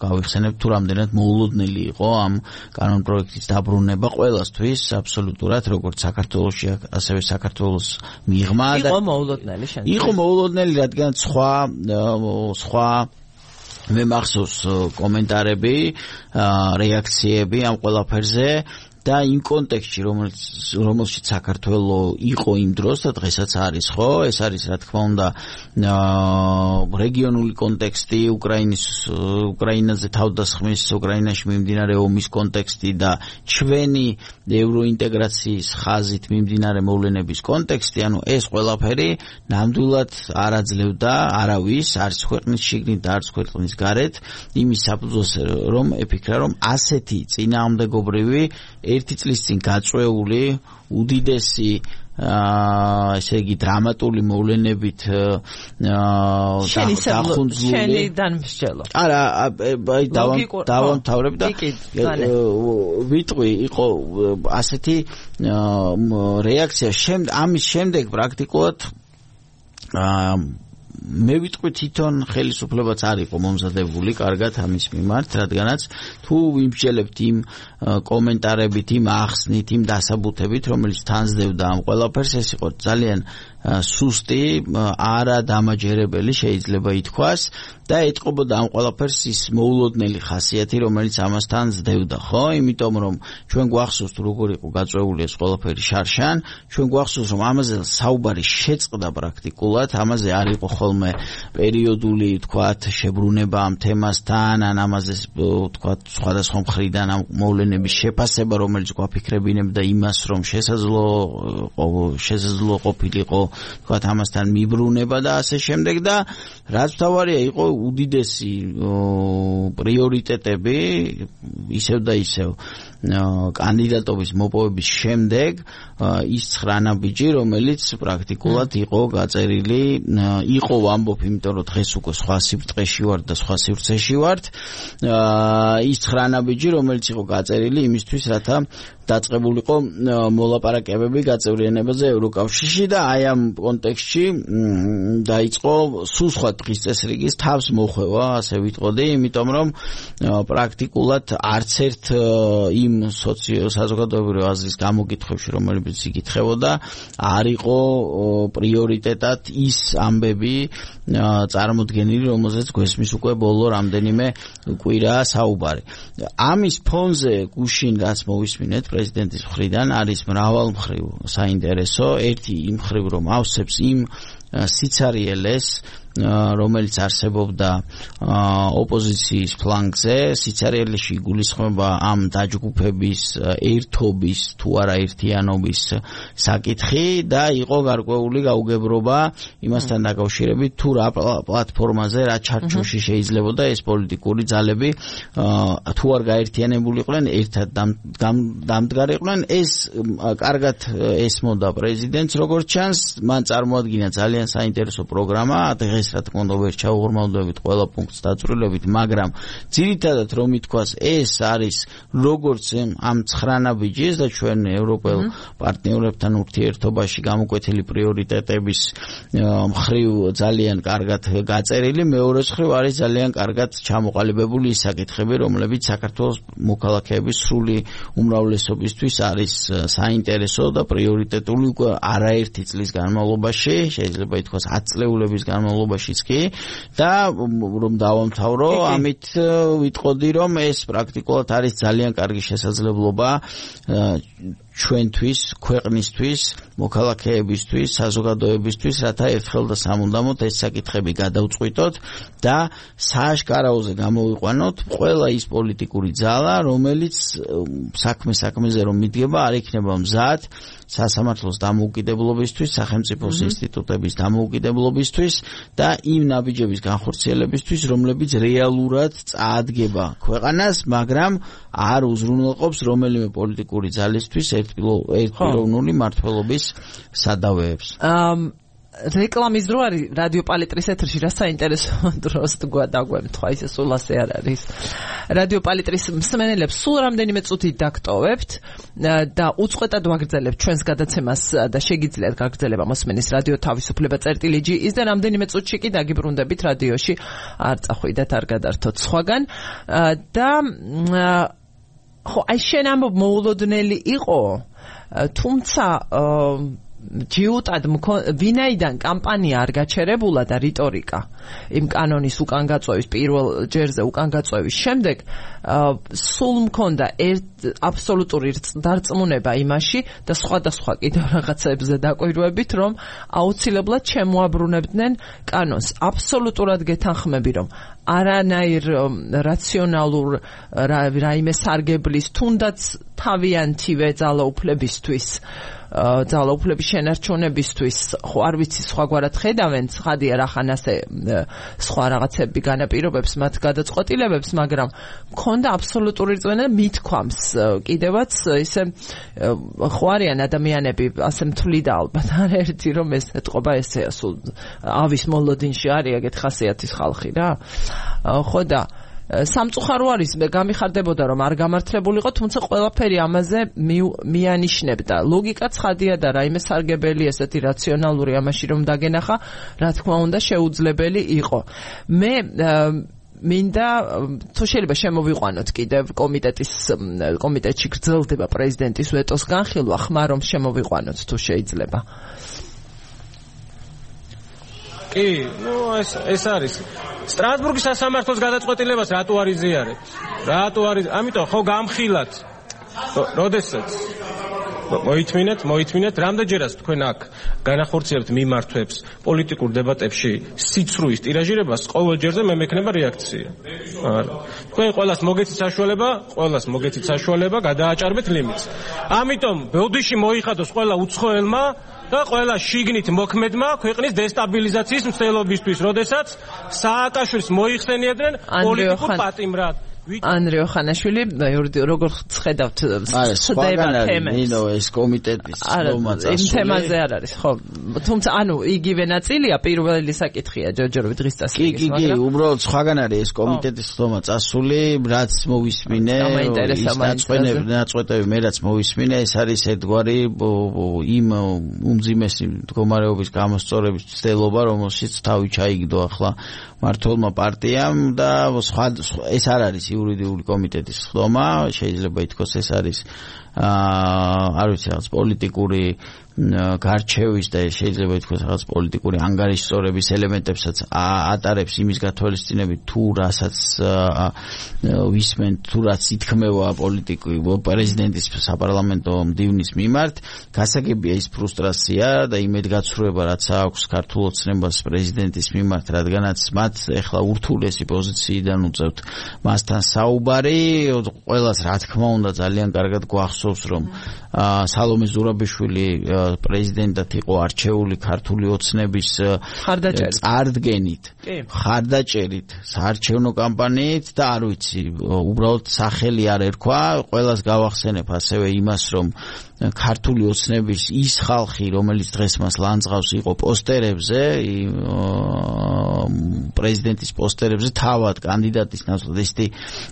გავიხსენებ თუ რამდენად მოულოდნელი იყო ამ კანონ პროექტის დაბრუნება ყველასთვის აბსოლუტურად როგორც საქართველოში ასევე საქართველოს მიღმა და იყო მოულოდნელი რადგან სხვა მე მახსოვს კომენტარები რეაქციები ამ ყველაფერზე და იმ კონტექსტში რომელშიც საქართველოს იყო იმ დროს და დღესაც არის ხო ეს არის რა თქმა უნდა რეგიონული კონტექსტი უკრაინაზე თავდასხმის უკრაინაში მიმდინარე ომის კონტექსტი და ჩვენი ევროინტეგრაციის ხაზით მიმდინარე მოვლენების კონტექსტი ანუ ეს ყველაფერი ნამდვილად არ აძლევდა არავის არც ქვეყნის შიგნით და არც ქვეყნის გარეთ იმის საფუძველს რომ ეფიქრა რომ ასეთი წინააღმდეგობრივი ერთი წლის წინ გაწვეული უდიდესი ესე იგი დრამატული მოვლენებით შენი დამსჯელო. არა, აი დავამთავრებ და ვიტყვი იყო ასეთი რეაქცია ამის შემდეგ პრაქტიკულად მე ვიტყვი თვითონ ხელისუფლებაც არ იყო მომზადებული კარგად ამის მიმართ, რადგანაც თუ ვიმსჯელებთ იმ კომენტარებით, იმ ახსნით, იმ დასაბუთებით, რომელიც თანსდევდა ამ ყველაფერს, ეს იყო ძალიან სუსტი, არადამაჯერებელი შეიძლება ითქვას და ეტყობოდა ამ ყველაფერს ის მოულოდნელი ხასიათი, რომელიც ამასთან სდევდა, ხო? იმიტომ რომ ჩვენ გვახსოვს თუ როგორ იყო გაწვეული ეს ყველაფერი შარშან, ჩვენ გვახსოვს რომ ამაზე საუბარი შეწყდა პრაქტიკულად, ამაზე არ იყო ხოლმე პერიოდული, თქვათ, შებრუნება ამ თემასთან, ან ამაზე თქვათ სხვადასხვა მხრიდან ამ მოვლენების შეფასება, რომელიც გვაფიქრებინებდა იმას, რომ შესაძლო ყოფილიყო თქვათ ამასთან მიბრუნება და ასე შემდეგ და რაც თავარია იყო უდიდესი პრიორიტეტები ისევ და ისევ კანდიდატობის მოპოვების შემდეგ ის 9 ნაბიჯი რომელიც პრაქტიკულად იყო გაწერილი იყო ვამბობ იმიტომ რომ დღეს უკვე სხვა სიბრტყეში ვარ და სხვა სივრცეში ვარ ის 9 ნაბიჯი რომელიც იყო გაწერილი იმისთვის რათა დაწყებულიყო მოლაპარაკებები გაწევრიანებაზე ევროკავშირში და აი ამ კონტექსტში დაიწყო სულ სხვა დღის წესრიგის თავს მოხვევა ასე ვიტყოდი იმიტომ რომ პრაქტიკულად არც ერთ იმ საზოგადოებრივი აზრის გამოკითხვებში რომელიც იკითხებოდა არ იყო პრიორიტეტად ის ამბები წარმოდგენილი რომელზეც გვესმის უკვე ბოლო რამდენიმე კვირა საუბარი ამის ფონზე გუშინ რაც მოვისმინეთ პრეზიდენტის მხრიდან არის მრავალმხრივ საინტერესო ერთი იმ მხრივ რომ ავსებს იმ სიცარიელეს რომელიც არსებობდა ოპოზიციის ფლანგზე სიცარიელეში გულისხმობა ამ დაჯგუფების ერთობის თუ არა ერთიანობის საკითხი და იყო გარკვეული გაუგებრობა იმასთან დაკავშირებით თუ რა პლატფორმაზე რა ჩარჩოში შეიძლებოდა ეს პოლიტიკური ძალები თუ არ გაერთიანებულიყვნენ ერთად დამდგარიყვნენ ეს კარგად ესმოდა პრეზიდენტს როგორც ჩანს მან წარმოადგინა ძალიან საინტერესო პროგრამა დღეს რა თქმა უნდა ვერ ჩაუღრმავდებით ყველა პუნქტს დაწვრილებით, მაგრამ ძირითადად რომ ითქვას ეს არის როგორც ამ 9 ნაბიჯის და ჩვენ ევროპელ პარტნიორებთან ურთიერთობაში გამოკვეთილი პრიორიტეტების მხრივ ძალიან კარგად გაწერილი, მეორე მხრივ არის ძალიან კარგად ჩამოყალიბებული ის საკითხები, რომლებიც საქართველოს მოქალაქეების სრული უმრავლესობისთვის არის საინტერესო და პრიორიტეტული უკვე არაერთი წლის განმავლობაში, შეიძლება ითქვას 10 წლეულების განმავლობაშიც კი და რომ დავამთავრო, ამით ვიტყოდი რომ ეს პრაქტიკულად არის ძალიან კარგი შესაძლებლობა ჩვენთვის, ქვეყნისთვის, მოქალაქეებისთვის, საზოგადოებისთვის, რათა ერთხელ და სამუდამოდ ეს საკითხები გადავწყვიტოთ და სააშკარაოზე გამოვიყვანოთ ყველა ის პოლიტიკური ძალა, რომელიც საქმეზე რომ მიდგება, არ იქნება მზად სასამართლოს დამოუკიდებლობისთვის, სახელმწიფოს ინსტიტუტების დამოუკიდებლობისთვის და იმ ნაბიჯების განხორციელებისთვის, რომლებიც რეალურად წაადგება ქვეყანას, მაგრამ არ უზრუნველყოფს რომელიმე პოლიტიკური ძალისთვის ერთპიროვნული მმართველობის სადავეებს. რეკლამის დრო არის რადიო პალიტრის ეთერში რა საინტერესო დროს დაგვემთხვა ისე სულ ასე არ არის რადიო პალიტრის მსმენელებს სულ რამდენიმე წუთით დაგტოვებთ და უწყვეტად ვაგრძელებთ ჩვენს გადაცემას და შეგიძლიათ გაგრძელება მოსმენის რადიო თავისუფლება წერტილი.gi ის და რამდენიმე წუთში კი დაგიბრუნდებით რადიოში არ წახვიდეთ არ გადართოთ სხვაგან და ხო აი შენ ამბობ მოულოდნელი იყო თუმცა ჯიუტად ვინაიდან კამპანია არ გაჩერებულა და რიტორიკა იმ კანონის უკან გაწვევის პირველ ჯერზე უკან გაწვევის შემდეგ სულ მქონდა აბსოლუტური დარწმუნება იმაში და სხვადასხვა კიდევ რაღაცებზე დაკვირვებით რომ აუცილებლად შემოაბრუნებდნენ კანონს აბსოლუტურად გეთანხმები რომ არანაირ რაციონალურ რაიმე სარგებლის თუნდაც თავიანთივე ძალაუფლებისთვის ძალაუფლების შენარჩუნებისთვის ხო არ ვიცი სხვაგვარად ხედავენ ცხადია რახან ასე სხვა რაღაცები განაპირობებს მათ გადაწყვეტილებებს მაგრამ მქონდა აბსოლუტური რწმენა მithქვამს კიდევაც ისე ხო არიან ადამიანები ასე მთვლიდა ალბათ არაერთი რომ ეს ეთყობა ესეა სულ ავის მოლოდინში არის ეგეთ ხასიათის ხალხი რა ხო და სამწუხარო არის გამიხარდებოდა რომ არ გამართლებულიყო თუმცა ყველაფერი ამაზე მიანიშნებდა ლოგიკა ცხადია და რაიმე სარგებელი ესეთი რაციონალური ამაში რომ დაგენახა რა თქმა უნდა შეუძლებელი იყო მე მინდა თუ შეიძლება შემოვიყვანოთ კიდევ კომიტეტში გრძელდება პრეზიდენტის ვეტოს განხილვა ხმა რომ შემოვიყვანოთ თუ შეიძლება კი, ეს არის სტრასბურგის სასამართლოს გადაწყვეტილებას რატო არ იზიარებთ? რატო არის? ამიტომ ხო გამხილათ. როდესაც მოითმინეთ, რამდენჯერაც თქვენ აქ განახორციელებთ მიმართვებს პოლიტიკურ დებატებში სიცრუის ტირაჟირებას, ყოველ ჯერზე მე მექნება რეაქცია. არა. თქვენ ყველას მოგეცით საშუალება, გადააჭარბეთ ლიმიტს. ამიტომ ბოდიში მოიხადოს ყველა უცხოელმა და ყველა შიგნით მოქმედმა ქვეყნის დესტაბილიზაციის მცდელობისთვის, როდესაც სააკაშვილს მოიხსენიებდნენ პოლიტიკურ პატიმრად. ანდრეო ხანაშვილი როგორ ხედავთ ნინო ეს კომიტეტის ხდომაც იმ თემაზე არ არის ხო თუმცა ანუ იგივე ნაწილია პირველი საკითხია ჯორჯორი დღის წასვლების კი უბრალოდ სხვაგან არის ეს კომიტეტის ხდომა წასული რაც მოვისმინე ნაწყვეტები მე რაც მოვისმინე ეს არის ერთგვარი იმ უმძიმესი მდგომარეობის გამოსწორების ცდელობა რომელშიც თავი ჩაიგდო ახლა მართლმა პარტიამ და ეს არ არის იურიდიული კომიტეტის ხდომა შეიძლება ითქვას ეს არის არ ვიცი რაღაც პოლიტიკური გარჩევის და შეიძლება ითქვას რაღაც პოლიტიკური ანგარიშსწორების ელემენტებსაც ატარებს იმის გათვალისწინებით თუ რასაც ვისმენთ თუ რაც ითქმევა პოლიტიკურ პრეზიდენტის საპარლამენტო მდივნის მიმართ გასაგებია ის ფრუსტრაცია და იმედგაცრუება რაც აქვს ქართულ ოცნებას პრეზიდენტის მიმართ რადგანაც მათ ეხლა ურთულესი პოზიციიდან უწევთ მასთან საუბარი ყველას რა თქმა უნდა ძალიან კარგად გვახსოვს რომ სალომე ზურაბიშვილი პრეზიდენტად იყო არჩეული ქართული ოცნების წარდგენით, ხარდაჭერით, საარჩევნო კამპანიით და არ ვიცი, უბრალოდ სახელი არ ერქვა, ყველას გავახსენებ ასევე იმას, რომ ქართული ოცნების ის ხალხი, რომელიც დღეს მას ლანძღავს იყო პოსტერებზე, პრეზიდენტის პოსტერებზე, თავად კანდიდატის ნაცვლად ესეთი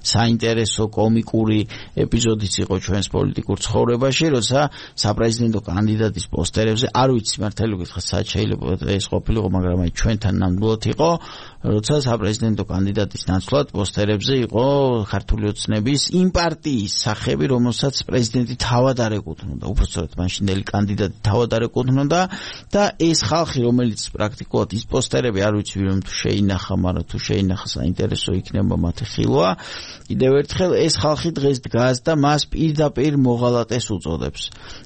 საინტერესო კომიკური ეპიზოდიც იყო ჩვენს პოლიტიკურ ცხოვრებაში, როცა საპრეზიდენტო კანდიდატის პოსტერებზე, არ ვიცი მართალი გითხრათ, სად შეიძლება ეს ყოფილიყო, მაგრამ აი ჩვენთან ნამდვილად იყო, როცა საპრეზიდენტო კანდიდატის ნაცვლად პოსტერებზე იყო ქართული ოცნების იმ პარტიის სახები, რომელსაც პრეზიდენტი თავად არ ეკუთვნოდა, უბრალოდ მაშინდელი კანდიდატი თავად არ ეკუთვნოდა და ეს ხალხი, რომელიც პრაქტიკულად ის პოსტერები არ ვიცი რომ თუ შეინახა, მაგრამ თუ შეინახა საინტერესო იქნება მათი ხილვა. კიდევ ერთხელ ეს ხალხი დღეს დგას და მას პირდაპირ მოღალატეს უწოდებს.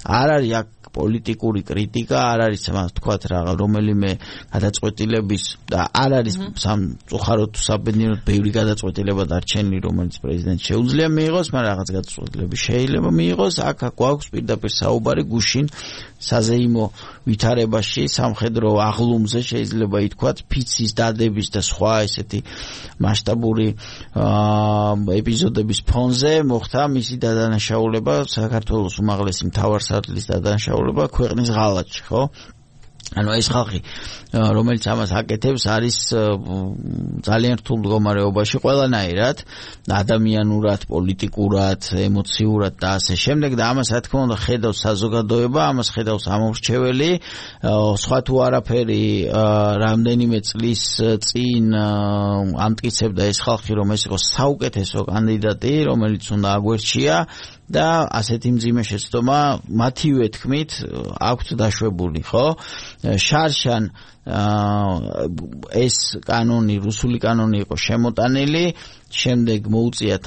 არ არის აქ პოლიტიკური კრიტიკა, არ არის თქვათ რაღაც რომელიმე გადაწყვეტილების და არ არის სამწუხაროდ თუ საბედნიეროდ ბევრი გადაწყვეტილება დარჩენილი, რომელიც პრეზიდენტს შეუძლია მიიღოს, მაგრამ რაღაც გადაწყვეტილები შეიძლება მიიღოს. აქ გვაქვს პირდაპირ საუბარი გუშინ საზეიმო ვითარებაში, სამხედრო აღლუმზე შეიძლება ითქვათ, ფიცის დადების და სხვა ესეთი მასშტაბური ეპიზოდების ფონზე მოხდა მისი დადანაშაულება, საქართველოს უმაღლესი მთავარსარდლის დადანაშაულება ქვეყნის ღალატში, ხო? ანუ ეს ხალხი რომელიც ამას აკეთებს არის ძალიან რთულ მდგომარეობაში ყველანაირად ადამიანურად, პოლიტიკურად, ემოციურად და ასე შემდეგ და ამას რა თქმა უნდა ხედავს საზოგადოება, ამას ხედავს ამორჩეველი, სხვა თუ არაფერი რამდენიმე წლის წინ ამტკიცებდა ეს ხალხი რომ ეს იყოს საუკეთესო კანდიდატი, რომელიც უნდა აგვერჩია და ასეთი მძიმე შეცდომა მათივე თქმით აქვთ დაშვებული, ხო? შარშან ეს კანონი, რუსული კანონი იყო შემოტანილი, შემდეგ მოუწიათ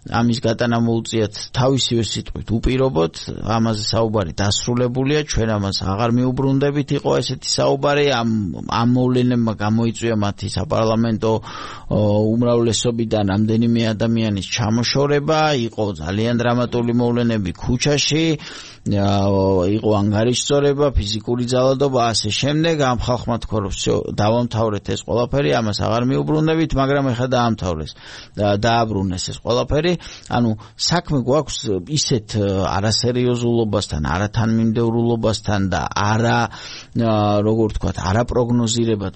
ამის გატანა მოუწიათ თავისივე სიტყვით უპირობოდ, ამაზე საუბარი დასრულებულია, ჩვენ ამას აღარ მიუბრუნდებით, იყო ესეთი საუბარი, ამ მოვლენებმა გამოიწვია მათი საპარლამენტო უმრავლესობიდან რამდენიმე ადამიანის ჩამოშორება, იყო ძალიან დრამატული მოვლენები ქუჩაში, იყო ანგარიშწორება, ფიზიკური ძალადობა, ასე შემდეგ, ამ ხალხმა თქვა რომ დავამთავრეთ ეს ყველაფერი, ამას აღარ მიუბრუნდებით, მაგრამ ეხლა დააბრუნეს ეს ყველაფერი. ანუ საქმე გვაქვს ისეთ არასერიოზულობასთან, არათანმიმდევრულობასთან და როგორ ვთქვათ, არაპროგნოზირებად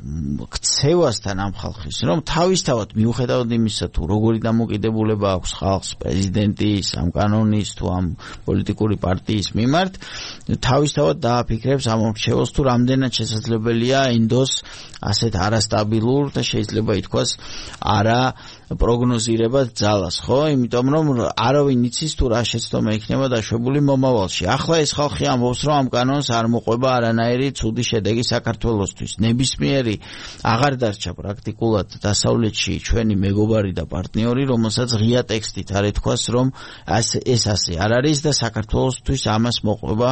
ქცევასთან ამ ხალხის, რომ თავისთავად მიუხედავად იმისა თუ როგორი დამოკიდებულება აქვს ხალხს პრეზიდენტის, ამ კანონის თუ ამ პოლიტიკური პარტიის მიმართ, თავისთავად დააფიქრებს ამ მრჩეველს თუ რამდენად შესაძლებელია ინდოს ასეთ არასტაბილურ და შეიძლება ითქვას პროგნოზირებად ძალას, ხო? იმიტომ რომ არავინ იცის თუ რა შეცდომა იქნება დაშვებული მომავალში. ახლა ეს ხალხი ამბობს რომ ამ კანონს არ მოყვება არანაირი ცუდი შედეგი საქართველოსთვის. ნებისმიერი აღარ დარჩა პრაქტიკულად დასავლეთში ჩვენი მეგობარი და პარტნიორი, რომელსაც ღია ტექსტით არ ეთქვას რომ ეს ასე არ არის და საქართველოსთვის ამას მოყვება,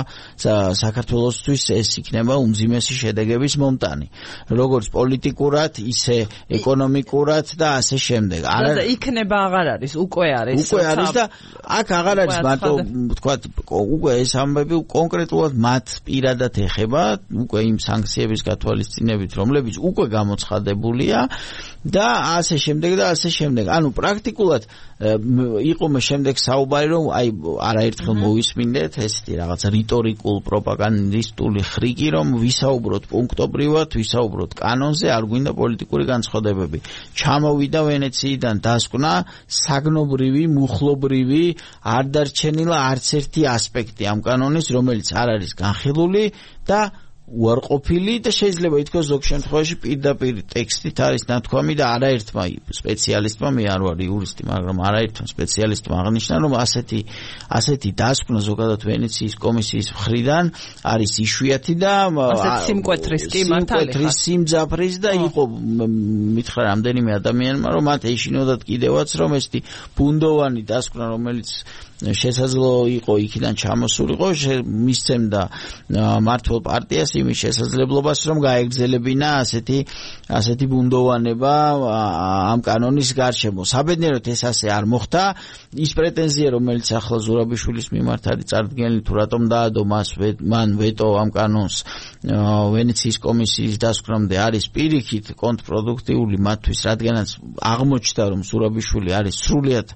საქართველოსთვის ეს იქნება უმძიმესი შედეგების მომტანი. როგორც პოლიტიკურად, ისე ეკონომიკურად და ასე შემდეგ. და იქნება აღარ არის, უკვე არის და აქ აღარ არის მარტო ვთქვათ, უკვე ეს ამბები კონკრეტულად მათ პირადად ეხება, უკვე იმ სანქციების გათვალისწინებით, რომლებიც უკვე გამოცხადებულია და ასე შემდეგ და ასე შემდეგ. ანუ პრაქტიკულად იყო მე შემდეგ საუბარი რომ აი არაერთხელ მოვისმინდეთ ესეთი რაღაც რიტორიკულ პროპაგანდისტული ხრიკი რომ ვისაუბროთ პუნქტობრივად, ვისაუბროთ კანონზე, არ გვინდა პოლიტიკური განცხადებები. ჩამოვიდა ვენეციიდან დასკვნა საგნობრივი, მუხლობრივი, არ დარჩენილა არც ერთი ასპექტი ამ კანონის, რომელიც არ არის განხილული და უარყოფილი და შეიძლება ითქვას ზოგ შემთხვევაში პირდაპირ ტექსტით არის ნათქვამი და არაერთმა სპეციალისტმა, მე არ ვარ იურისტი, მაგრამ არაერთმა სპეციალისტმა აღნიშნა, რომ ასეთი დასკვნა ზოგადად ვენეციის კომისიის მხრიდან არის იშვიათი და სიმკვეთრის კი მართალია. სიმძაფრის და იყო მითხრა რამდენიმე ადამიანმა, რომ მათ ეშინოდათ კიდევაც, რომ ესეთი ბუნდოვანი დასკვნა, რომელიც შესაძლო იყო იქიდან ჩამოსულიყო, მისცემდა მართლ პარტიას იმის შესაძლებლობას, რომ გაეგრძელებინა ასეთი ბუნდოვანება ამ კანონის გარშემო. საბედნიეროდ ეს ასე არ მოხდა. ის პრეტენზია, რომელიც ახლა ზურაბიშვილის მიმართ არის წარდგენილი, თუ რატომ დაადო მან ვეტო ამ კანონს ვენეციის კომისიის დასკვნამდე, არის პირიქით კონტრპროდუქტიული მათთვის, რადგანაც აღმოჩნდა, რომ ზურაბიშვილი არის სრულიად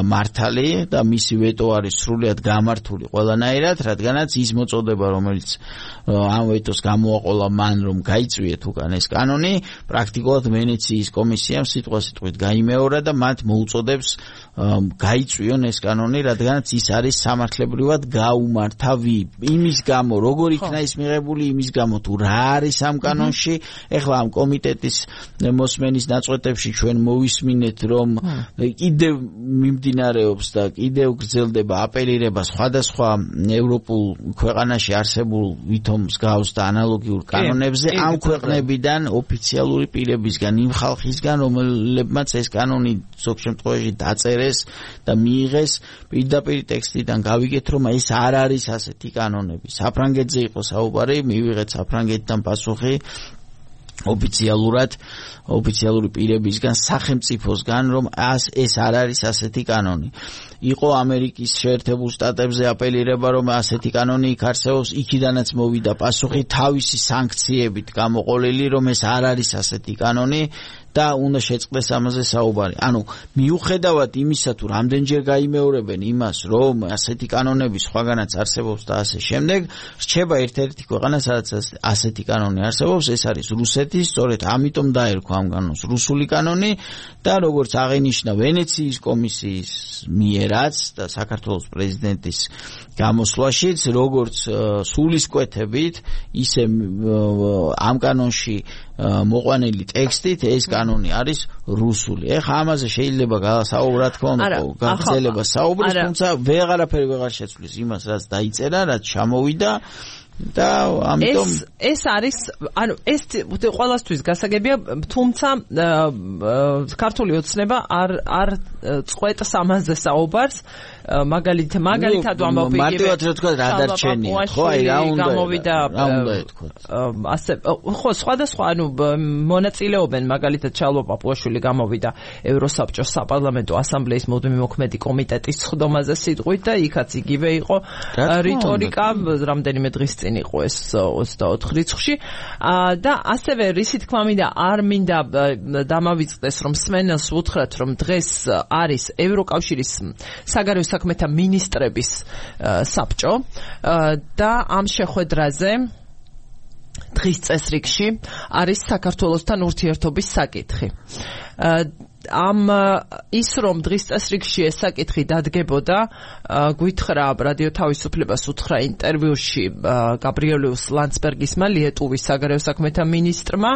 მართალი და მისი ვეტო არის სრულიად გამართული ყველანაირად, რადგანაც ის მოწოდება, რომელიც ამ ვეტოს გამოაყოლა მან, რომ გაიწვიეთ უკან ეს კანონი, პრაქტიკულად ვენეციის კომისიამ სიტყვასიტყვით გაიმეორა და მათ მოუწოდებს გაიწვიონ ეს კანონი, რადგანაც ის არის სამართლებრივად გაუმართავი. იმის გამო, როგორ იქნა ის მიღებული, იმის გამო თუ რა არის ამ კანონში, ეხლა ამ კომიტეტის მოსმენის ნაწყვეტებში ჩვენ მოვისმინეთ, რომ კიდევ მიმდინარეობს და კიდევ გრძელდება აპელირება სხვადასხვა ევროპულ ქვეყანაში არსებულ ვითომ მსგავს და ანალოგიურ კანონებზე ამ ქვეყნებიდან ოფიციალური პირებისგან, იმ ხალხისგან, რომლებმაც ეს კანონი ზოგ შემთხვევაში დაწერეს და მიიღეს, პირდაპირ ტექსტიდან გავიგეთ, რომ ეს არ არის ასეთი კანონები. საფრანგეთზე იყო საუბარი, მივიღეთ საფრანგეთიდან პასუხი ოფიციალური პირებისგან, სახელმწიფოსგან, რომ ეს არ არის ასეთი კანონი. იყო ამერიკის შეერთებულ შტატებზე აპელირება, რომ ასეთი კანონი იქ არსებობს, იქიდანაც მოვიდა პასუხი თავისი სანქციებით გამოყოლილი, რომ ეს არ არის ასეთი კანონი და უნდა შეწყდეს ამაზე საუბარი. ანუ მიუხედავად იმისა, თუ რამდენჯერ გაიმეორებენ იმას, რომ ასეთი კანონები სხვაგანაც არსებობს და ასე შემდეგ, რჩება ერთ-ერთი ქვეყანა, სადაც ასეთი კანონი არსებობს, ეს არის რუსეთი, სწორედ ამიტომ დაერქვა ამ კანონს რუსული კანონი და როგორც აღინიშნა ვენეციის კომისიის მიერაც და საქართველოს პრეზიდენტის გამოსვლაშიც, როგორც სულისკვეთებით, ისე ამ კანონში მოყვანილი ტექსტით ეს კანონი არის რუსული. ეხლა ამაზე შეიძლება გასაუბროთ, თქო, გაგრძელება საუბრის, თუმცა ვეღარაფერი ვეღარ შეცვლის იმას, რაც დაიწერა, რაც ჩამოვიდა და ამიტომ ეს არის, ანუ ეს ყველასთვის გასაგებია, თუმცა ქართული ოცნება არ წყვეტს ამაზე საუბარს. მაგალითად ვამბობ მარტივად რა თქვა რა დარჩენია, ხო, აი რა უნდა ეთქვა. ასე ხო, სხვადასხვა, ანუ მონაწილეობენ, მაგალითად ჩალვა პაპუაშვილი გამოვიდა ევროსაბჭოს საპარლამენტო ასამბლეის მუდმივი მოქმედი კომიტეტის სხდომაზე სიტყვით და იქაც იგივე იყო რიტორიკა, რამდენიმე დღის წინ იყო ეს 24 რიცხვში და ასევე რისი თქმა მინდა არ მინდა დამავიწყდეს, რომ სმენელს უთხრათ, რომ დღეს არის ევროკავშირის საგარეო საქმეთა მინისტრების საბჭო და ამ შეხვედრაზე დღის წესრიგში არის საქართველოსთან ურთიერთობის საკითხი. ამ ის რომ დღის წესრიგში ეს საკითხი დადგებოდა, გვითხრა რადიო თავისუფლებას უთხრა ინტერვიუში გაბრიელიუს ლანდსბერგისმა, ლიეტუვის საგარეო საქმეთა მინისტრმა,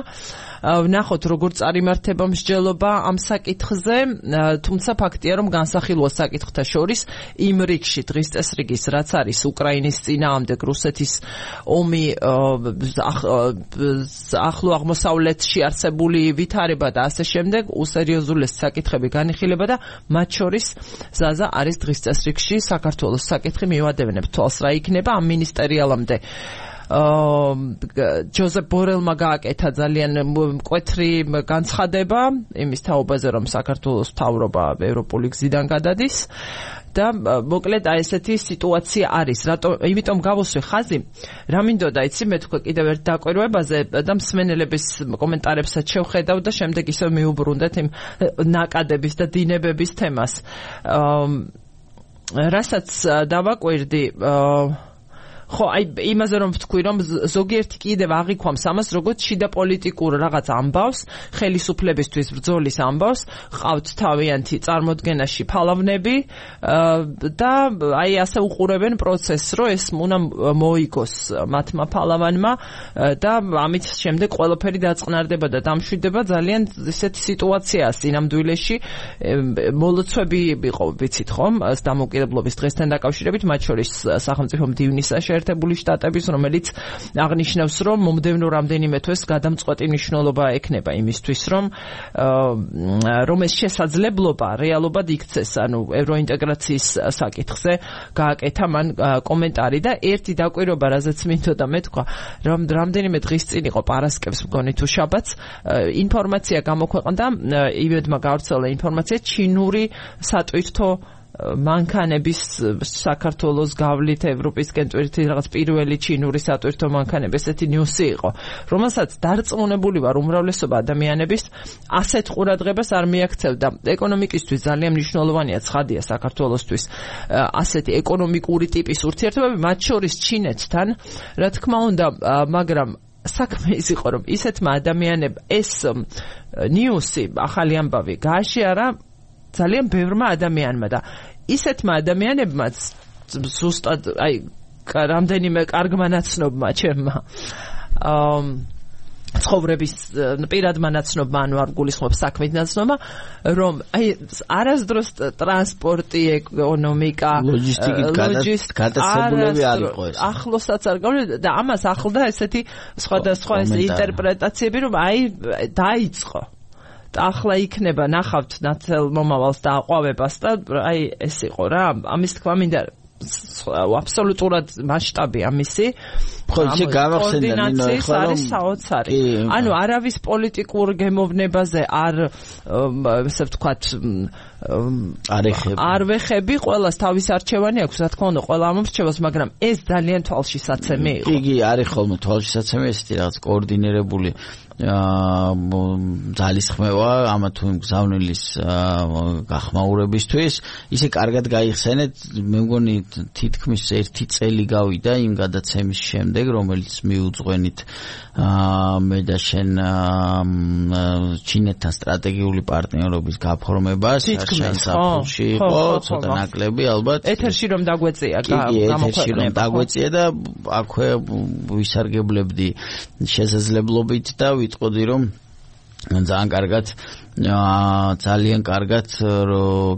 ვნახოთ როგორ წარიმართება მსჯელობა ამ საკითხზე, თუმცა ფაქტია, რომ განსახილვა საკითხთა შორის იმ რიგში დღის წესრიგის, რაც არის უკრაინის წინააღმდეგ რუსეთის ომი, ახლო აღმოსავლეთში არსებული ვითარება და ასე შემდეგ, უსერიოზულეს საკითხები განიხილება და მათ შორის ზაზა არის დღის წესრიგში საქართველოს საკითხი მივადევნებ თვალს რა იქნება ამ მინისტერიალამდე. ჯოზეფ ბორელმა გააკეთა ძალიან მკვეთრი განცხადება იმის თაობაზე, რომ საქართველოს მთავრობა ევროპული გზიდან გადადის და მოკლედ აი ესეთი სიტუაცია არის. იმიტომ გავუსვი ხაზი, რა მინდოდა იცი, მე თქვა კიდევ ერთ დაკვირვებაზე და მსმენელების კომენტარებსაც შევხედავ და შემდეგ ისევ მიუბრუნდეთ იმ ნაკადების და დინებების თემას. რასაც დავაკვირდი, ხო, აი იმაზე რომ ვთქვი, რომ ზოგიერთი კიდევ აღიქვამს ამას, როგორც შიდა პოლიტიკურ რაღაც ამბავს, ხელისუფლებისთვის ბრძოლის ამბავს, ყავთ თავიანთი წარმოდგენაში ფალავნები და აი ასე უყურებენ პროცესს, რომ ეს უნდა მოიგოს მათმა ფალავანმა და ამით შემდეგ ყველაფერი დაწყნარდება და დამშვიდება ძალიან ისეთი სიტუაციაა სინამდვილეში. მოლოცვები იყო, ვიცით ხომ, დამოუკიდებლობის დღესთან დაკავშირებით, მათ შორის სახელმწიფო მდივნის შეერთებული შტატების, რომელიც აღნიშნავს, რომ მომდევნო რამდენიმე თვეს გადამწყვეტი მნიშვნელობა ექნება იმისთვის, რომ ეს შესაძლებლობა რეალობად იქცეს, ანუ ევროინტეგრაციის საკითხზე გააკეთა მან კომენტარი და ერთი დაკვირვება, რაზეც მინდოდა მეთქვა, რომ რამდენიმე დღის წინ იყო პარასკევს მგონი თუ შაბათს, ინფორმაცია გამოქვეყნდა, ივედმა გავრცელა ინფორმაცია ჩინური სატვირთო მანქანების საქართველოს გავლით ევროპისკენ ტვირთი რაღაც პირველი ჩინური სატვირთო მანქანები, ესეთი ნიუსი იყო, რომელსაც დარწმუნებული ვარ უმრავლესობა ადამიანების ასეთ ყურადღებას არ მიაქცევდა. ეკონომიკისთვის ძალიან მნიშვნელოვანია, ცხადია საქართველოსთვის ასეთი ეკონომიკური ტიპის ურთიერთობები, მათ შორის ჩინეთთან, რა თქმა უნდა, მაგრამ საქმე ის იყო, რომ ისეთმა ადამიანებმა ეს ნიუსი, ახალი ამბავი გააშიარა ძალიან ბევრმა ადამიანმა და ისეთმა ადამიანებმაც ზუსტად აი რამდენიმე კარგმა ნაცნობმა ჩემმა ცხოვრების პირადმა ნაცნობმა, ანუ არ გულისხმობ საქმით ნაცნობმა, რომ აი არასდროს ტრანსპორტი, ეკონომიკა, ლოჯისტიკით გადასებულები არ იყო ეს. ახლოსაც არ გავიდა და ამას ახლდა ესეთი სხვადასხვა ინტერპრეტაციები, რომ აი დაიწყო. ახლა იქნება ნახავთ ნაცელ მომავალს და აყვავებას და აი ეს იყო რა, ამის თქმა მინდა აბსოლუტურად მასშტაბი ამისი ხო, ისე გამახსენდა ნინო ეხლა რომ არის საოცარი. ანუ არავის პოლიტიკურ გემოვნებაზე არ ესე ვთქვათ არ ვეხები, ყველას თავის არჩევანი აქვს, რა თქმა უნდა, ყველა ამორჩევას, მაგრამ ეს ძალიან თვალშისაცემი იყო. იგი არის ხოლმე თვალშისაცემი, ესეთი რაღაც კოორდინირებული ძალისხმევა ამა თუ იმ გზავნილის გახმაურებისთვის. ისე კარგად გაიხსენეთ, მე მგონი თითქმის 1 წელი გავიდა იმ გადაცემის შემდეგ, რომელიც მიუძღვენით მე და შენ ჩინეთთან სტრატეგიული პარტნიორობის გაფორმებას შანსაფულში იყო, ცოტა ნაკლები ალბათ. ეთერში რომ დაგვეწია ეთერში რომ დაგვეწია და აქვე ვისარგებლებდი შესაძლებლობით და ვიტყოდი რომ ძალიან კარგად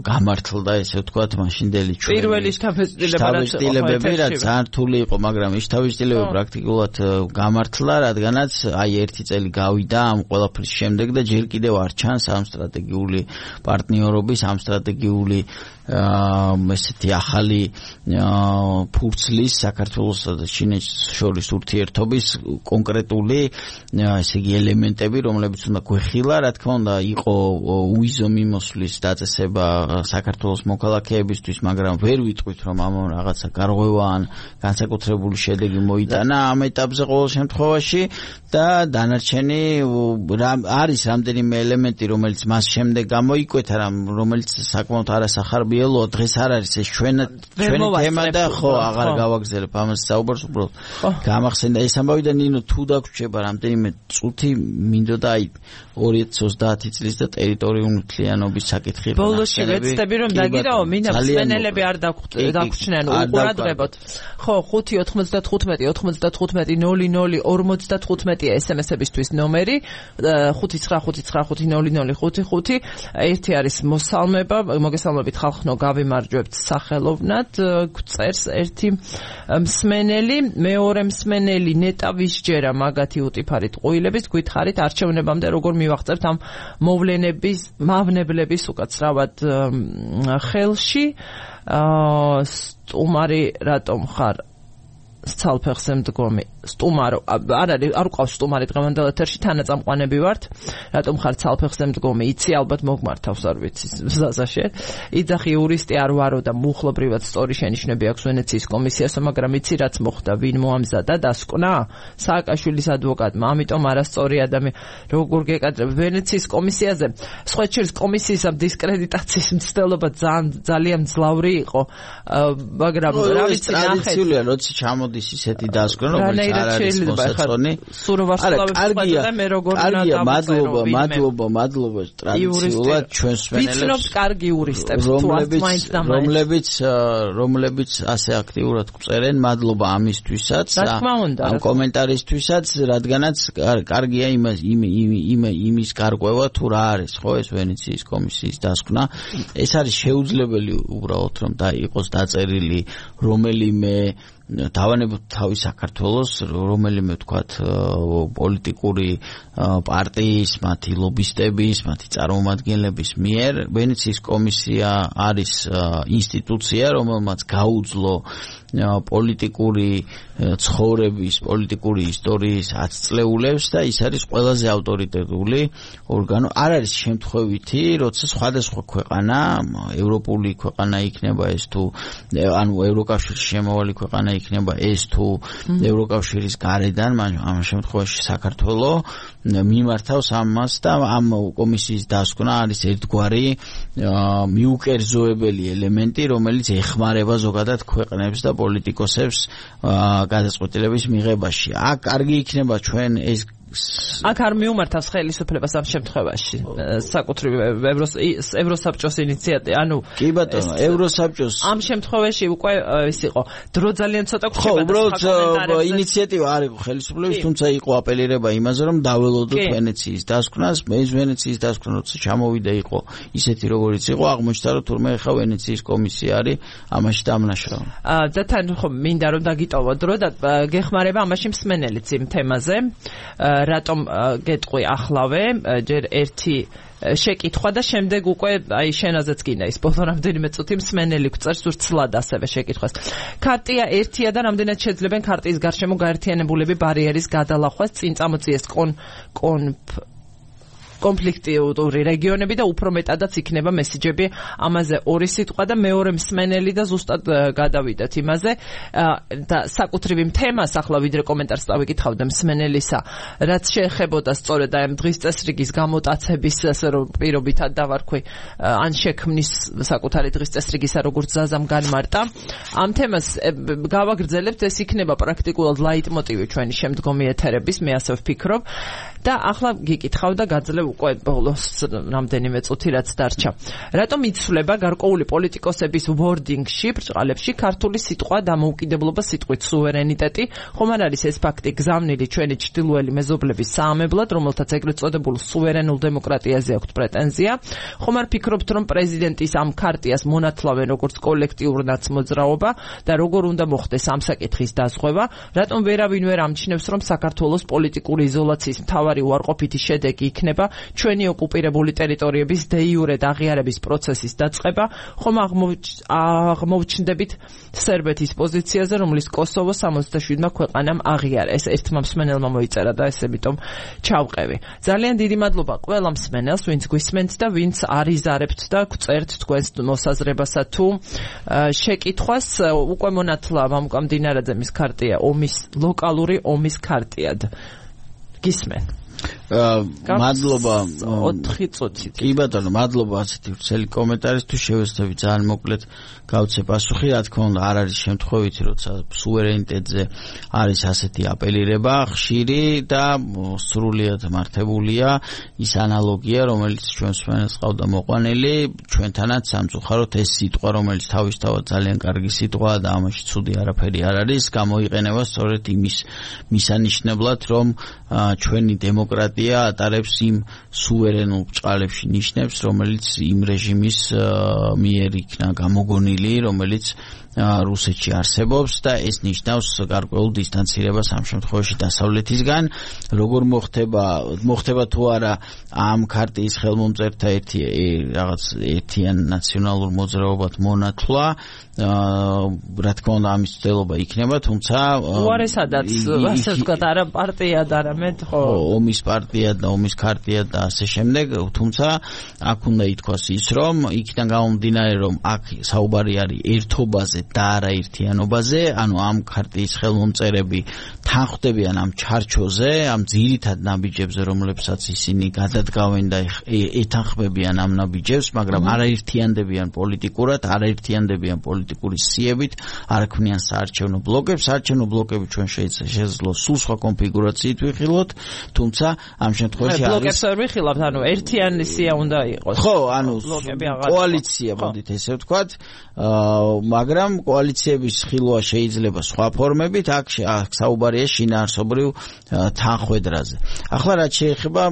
გამართლდა ესე ვთქვათ მაშინდელი ჩვენი პირველი შთაბეჭდილებები რაც ძალიან რთული იყო, მაგრამ ის შთაბეჭდილებები პრაქტიკულად გამართლა, რადგანაც აი 1 წელი გავიდა ამ ყველაფრის შემდეგ და ჯერ კიდევ არ ჩანს ამ სტრატეგიული პარტნიორობის, ამ სტრატეგიული ესეთი ახალი ფურცლის საქართველოსა და ჩინეთს შორის ურთიერთობის კონკრეტული ესე იგი ელემენტები, რომლებიც უნდა გვეხილა, რა თქმა უნდა იყო უიზო მიმოსვლის დაწესება საქართველოს მოქალაქეებისთვის, მაგრამ ვერ ვიტყვით რომ ამან რაღაცა გარღვევა ან განსაკუთრებული შედეგი მოიტანა ამ ეტაპზე ყოველ შემთხვევაში და დანარჩენი არის რამდენიმე ელემენტი, რომელიც მას შემდეგ გამოიკვეთა, რომელიც საკმაოდ არასახარბიელოა, დღეს არ არის ეს ჩვენი თემა და ხო აღარ გავაგზავნებ ამას საუბარს, უბრალოდ გამახსენდა ეს ამბავი და ნინო თუ დაგვრჩება რამდენიმე წუთი მინდოდა აი 2030 წლის და ტერიტორიული მთლიანობის საკითხი იყო. ბოლოში ვეცდები რომ დაგირაო, მინდა მსმენელები არ დაგვრჩნენ უყურადღებოთ. ხო, 595-95-00-55 SMS-ებისთვის ნომერი 595-500-555. ერთი არის მოსალმება, მოგესალმებით ხალხნო, გავიმარჯვებთ სახელოვნად, გწერს ერთი მსმენელი, მეორე მსმენელი ნეტა ვისჯერა მაგათი უტიფარით ყუილების, გითხარით არჩევნებამდე როგორ მივაღწევთ ამ მავნებლების უკაცრავად ხელში. სტუმარი რატომ ხარ ცალფეხზე მდგომი? სტუმარო, არ უყავს სტუმარი დღევანდელ ეთერში, თანაწამყვანები ვართ. რატომ ხარ ცალფეხზე მდგომი? იცი ალბათ მოგმართავს, არ ვიცი ზაზაშე. იძახი იურისტი არ ვარო და მუხლობრივად სწორი შენიშვნები აქვს ვენეციის კომისიასო, მაგრამ იცი რაც მოხდა, ვინ მოამზადა დასკვნა? სააკაშვილის ადვოკატმა, ამიტომ არასწორი ადამიანი. როგორ გეკადრებ ვენეციის კომისიაზე? სხვაჩერს კომისიის ამ დისკრედიტაციის მცდელობა ძალიან მძლავრი იყო, მაგრამ რა ვიცი, ტრადიციულია, როცა ჩამოდის ისეთი დასკვნა, რომელიც არ არის მოსაწონი. კარგია, მე როგორ მადლობა ტრადიციულად ჩვენს მსმენელებს. ვიცნობთ კარგი იურისტებს, თუ რომლებიც ასე აქტიურად გვწერენ, მადლობა ამისთვისაც, ამ კომენტარისთვისაც, რადგანაც კარგია იმის გარკვევა თუ რა არის, ხო, ეს ვენეციის კომისიის დასკვნა. ეს არის შეუძლებელი უბრალოდ რომ იყოს დაწერილი რომელიმე დავანებოთ თავი საქართველოს რომელიმე ვთქვათ პოლიტიკური პარტიის, მათი ლობისტების, მათი წარმომადგენლების მიერ. ვენეციის კომისია არის ინსტიტუცია, რომელმაც გაუძლო პოლიტიკური ცხოვრების, პოლიტიკური ისტორიის ათწლეულებს და ის არის ყველაზე ავტორიტეტული ორგანო. არ არის შემთხვევითი, როცა სხვადასხვა ქვეყანა, ევროპული ქვეყანა იქნება ეს თუ ანუ ევროკავშირის შემავალი ქვეყანა იქნება ეს თუ ევროკავშირის გარედან, ამ შემთხვევაში საქართველოს მიმართავს ამას და ამ კომისიის დასკვნა არის ერთგვარი მიუკერძოებელი ელემენტი, რომელიც ეხმარება ზოგადად ქვეყნებს და პოლიტიკოსებს გადაწყვეტილების მიღებაში. აქ კარგი იქნება ჩვენ ეს აქ არ მიუმართავს ხელისუფლებას ამ შემთხვევაში საკუთრივ ევროსაბჭოს ინიციატივა, ანუ კი ბატონო, ევროსაბჭოს ამ შემთხვევაში უკვე ის იყო დრო ძალიან ცოტა გრჩება. ხო, უბრალოდ ინიციატივა არ იყო ხელისუფლების, თუმცა იყო აპელირება იმაზე, რომ დაველოდოთ ვენეციის დასკვნას. ეს ვენეციის დასკვნა როცა ჩამოვიდა იყო ისეთი როგორიც იყო, აღმოჩნდა რომ თურმე ხა ვენეციის კომისია არის ამაში დამნაშრალი. და თან ხო მინდა რომ დაგიტოვო დრო და გეხმარება ამაში მსმენელიც იმ თემაზე. რატომ გეტყვი ახლავე ჯერ ერთი შეკითხვა და შემდეგ უკვე აი შენაზეც გინდა ის ბოლო რამდენიმე წუთი მსმენელი გვწერს ურცლად ასევე შეკითხვას. ქარტია ერთია და რამდენად შეძლებენ ქარტიის გარშემო გაერთიანებულები ბარიერის გადალახვას წინ წამოწიეს კონფლიქტური რეგიონები და უფრო მეტადაც იქნება მესიჯები ამაზე ორი სიტყვა და მეორე მსმენელი და ზუსტად გადავიდეთ იმაზე და საკუთრივ იმ თემას ახლა ვიდრე კომენტარს დავიკითხავდა მსმენელისა რაც შეეხებოდა სწორედ აი დღის წესრიგის გამოტაცების ასე რომ პირობითად დავარქვი ან შექმნის საკუთარი დღის წესრიგისა როგორც ზაზამ განმარტა ამ თემას გავაგრძელებთ ეს იქნება პრაქტიკულად ლაიტმოტივი ჩვენი შემდგომი ეთერების მე ასე ვფიქრობ და ახლა გიკითხავ და გაძლევ უკვე ბოლოს რამდენიმე წუთი რაც დარჩა. რატომ იცვლება გარკვეული პოლიტიკოსების ვორდინგში, ბრჭყალებში ქართული სიტყვა დამოუკიდებლობა სიტყვით სუვერენიტეტი, ხომ არ არის ეს ფაქტი გზავნილი ჩვენი ჩრდილოელი მეზობლების საამებლად, რომელთაც ეგრეთ წოდებულ სუვერენულ დემოკრატიაზე აქვთ პრეტენზია? ხომ არ ფიქრობთ, რომ პრეზიდენტის ამ ქარტიას მონათლავენ როგორც კოლექტიურ ნაცმოძრაობა და როგორ უნდა მოხდეს ამ საკითხის დაზღვევა? რატომ ვერავინ ვერ ამჩნევს, რომ საქართველოს პოლიტიკური იზოლაციის მთავარი უარყოფითი შედეგი იქნება ჩვენი ოკუპირებული ტერიტორიების დე იურე აღიარების პროცესის დაწყება, ხომ აღმოჩნდებით სერბეთის პოზიციაზე, რომლის კოსოვო 67-მა ქვეყანამ აღიარა. ეს ერთმა მსმენელმა მოიწერა და ეს ამიტომ ჩავყევი. ძალიან დიდი მადლობა ყველა მსმენელს, ვინც გვისმენთ და ვინც არიზარებთ და გვწერთ თქვენს მოსაზრებასა თუ შეკითხვას. უკვე მონათლა მამუკამ დინარაძემის ქარტია ლოკალური ომის ქარტიად. გისმენ. მადლობა 4 წუთი. კი ბატონო, მადლობა ასეთი ვრცელი კომენტარისთვის. შევეცდები ძალიან მოკლედ გავცე პასუხი. რა თქმა უნდა, არ არის შემთხვევითი, როცა სუვერენიტეტზე არის ასეთი აპელირება ხშირი და სრულიად მართებულია ის ანალოგია, რომელიც ჩვენ მსმენელს ყავდა მოყვანილი, ჩვენთანაც სამწუხაროდ ეს სიტყვა, რომელიც თავისთავად ძალიან კარგი სიტყვაა და ამაში ცუდი არაფერი არ არის, გამოიყენება სწორედ იმის მისანიშნებლად, რომ ჩვენი დემოკრატია ატარებს იმ სუვერენულ ბრჭყალებში ნიშნებს, რომელიც იმ რეჟიმის მიერ იქნა გამოგონილი, რომელიც რუსეთში არსებობს და ეს ნიშნავს გარკვეულ დისტანცირებას ამ შემთხვევაში დასავლეთისგან. როგორ მოხდება თუ არა ამ ქარტიის ხელმომწერთა რაღაც ერთიან ნაციონალურ მოძრაობად მონათლა, რა თქმა უნდა ამის ცდელობა იქნება, თუმცა უარესადაც ასე ვთქვათ, არა პარტია და არამედ ხო ომის პარტია და ომის ქარტია და ასე შემდეგ, თუმცა აქ უნდა ითქვას ის, რომ იქიდან გამომდინარე, რომ აქ საუბარი არის ერთობაზე და არა ერთიანობაზე, ანუ ამ ქარტიის ხელმომწერები თანხმდებიან ამ ჩარჩოზე, ამ ძირითად ნაბიჯებზე, რომლებსაც ისინი გადადგავენ და ეთანხმებიან ამ ნაბიჯებს, მაგრამ არ აერთიანდებიან პოლიტიკურად, არ აერთიანდებიან პოლიტიკური სიებით, არ ქმნიან საარჩევნო ბლოკებს. საარჩევნო ბლოკები ჩვენ შეძლო სულ სხვა კონფიგურაციით ვიხილოთ, თუმცა ამ შემთხვევაში არის ბლოკებს ვერ ვიხილავთ, ანუ ერთიანი სია უნდა იყოს. ხო, ანუ კოალიცია, მოდით ესე ვთქვათ, მაგრამ კოალიციების ხილვა შეიძლება სხვა ფორმებით, აქ საუბარია შინაარსობრივ თანხმედრაზე. ახლა რაც შეეხება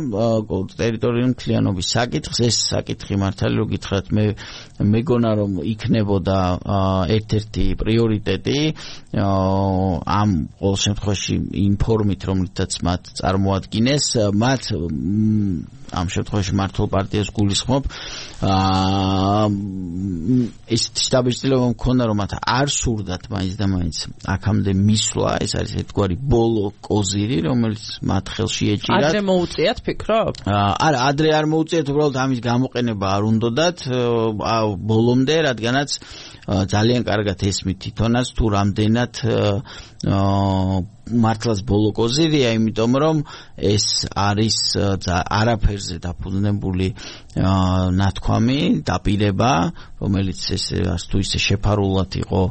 ტერიტორიული მთლიანობის საკითხს, ეს საკითხი მართალი რო გითხრათ, მე მეგონა რომ იქნებოდა ერთ-ერთი პრიორიტეტი ამ ყოველ შემთხვევაში იმ ფორმით, რომლითაც მათ წარმოადგინეს, მათ ამ შემთხვევაში მართლ პარტიას გულისხმობ, ეს შტაბ-ჭრილობა მქონდა, რომ მათ არ სურდათ მაინც და მაინც აქამდე მისვლა, ეს არის ერთგვარი ბოლო კოზირი, რომელიც მათ ხელში ეჭირათ. ადრე მოუწიათ, ფიქრობ? არა, ადრე არ მოუწიათ, უბრალოდ ამის გამოყენება არ უნდათ ბოლომდე, რადგანაც ძალიან კარგად ესმით თვითონაც თუ რამდენად მართლაც ბოლო კოზირია, იმიტომ რომ ეს არის არაფერზე დაფუძნებული ნათქვამი, დაპირება, რომელიც თუ ისე შეფარულად იყო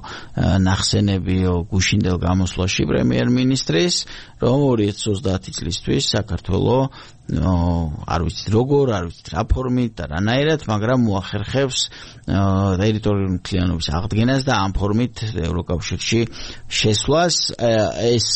ნახსენები გუშინდელ გამოსვლაში პრემიერ-მინისტრის, რომ 2030 წლისთვის საქართველოს არ ვიცით როგორ, არ ვიცით რა ფორმით და რანაირად, მაგრამ მოახერხებს ტერიტორიული მთლიანობის აღდგენას და ამ ფორმით ევროკავშირში შესვლას. ეს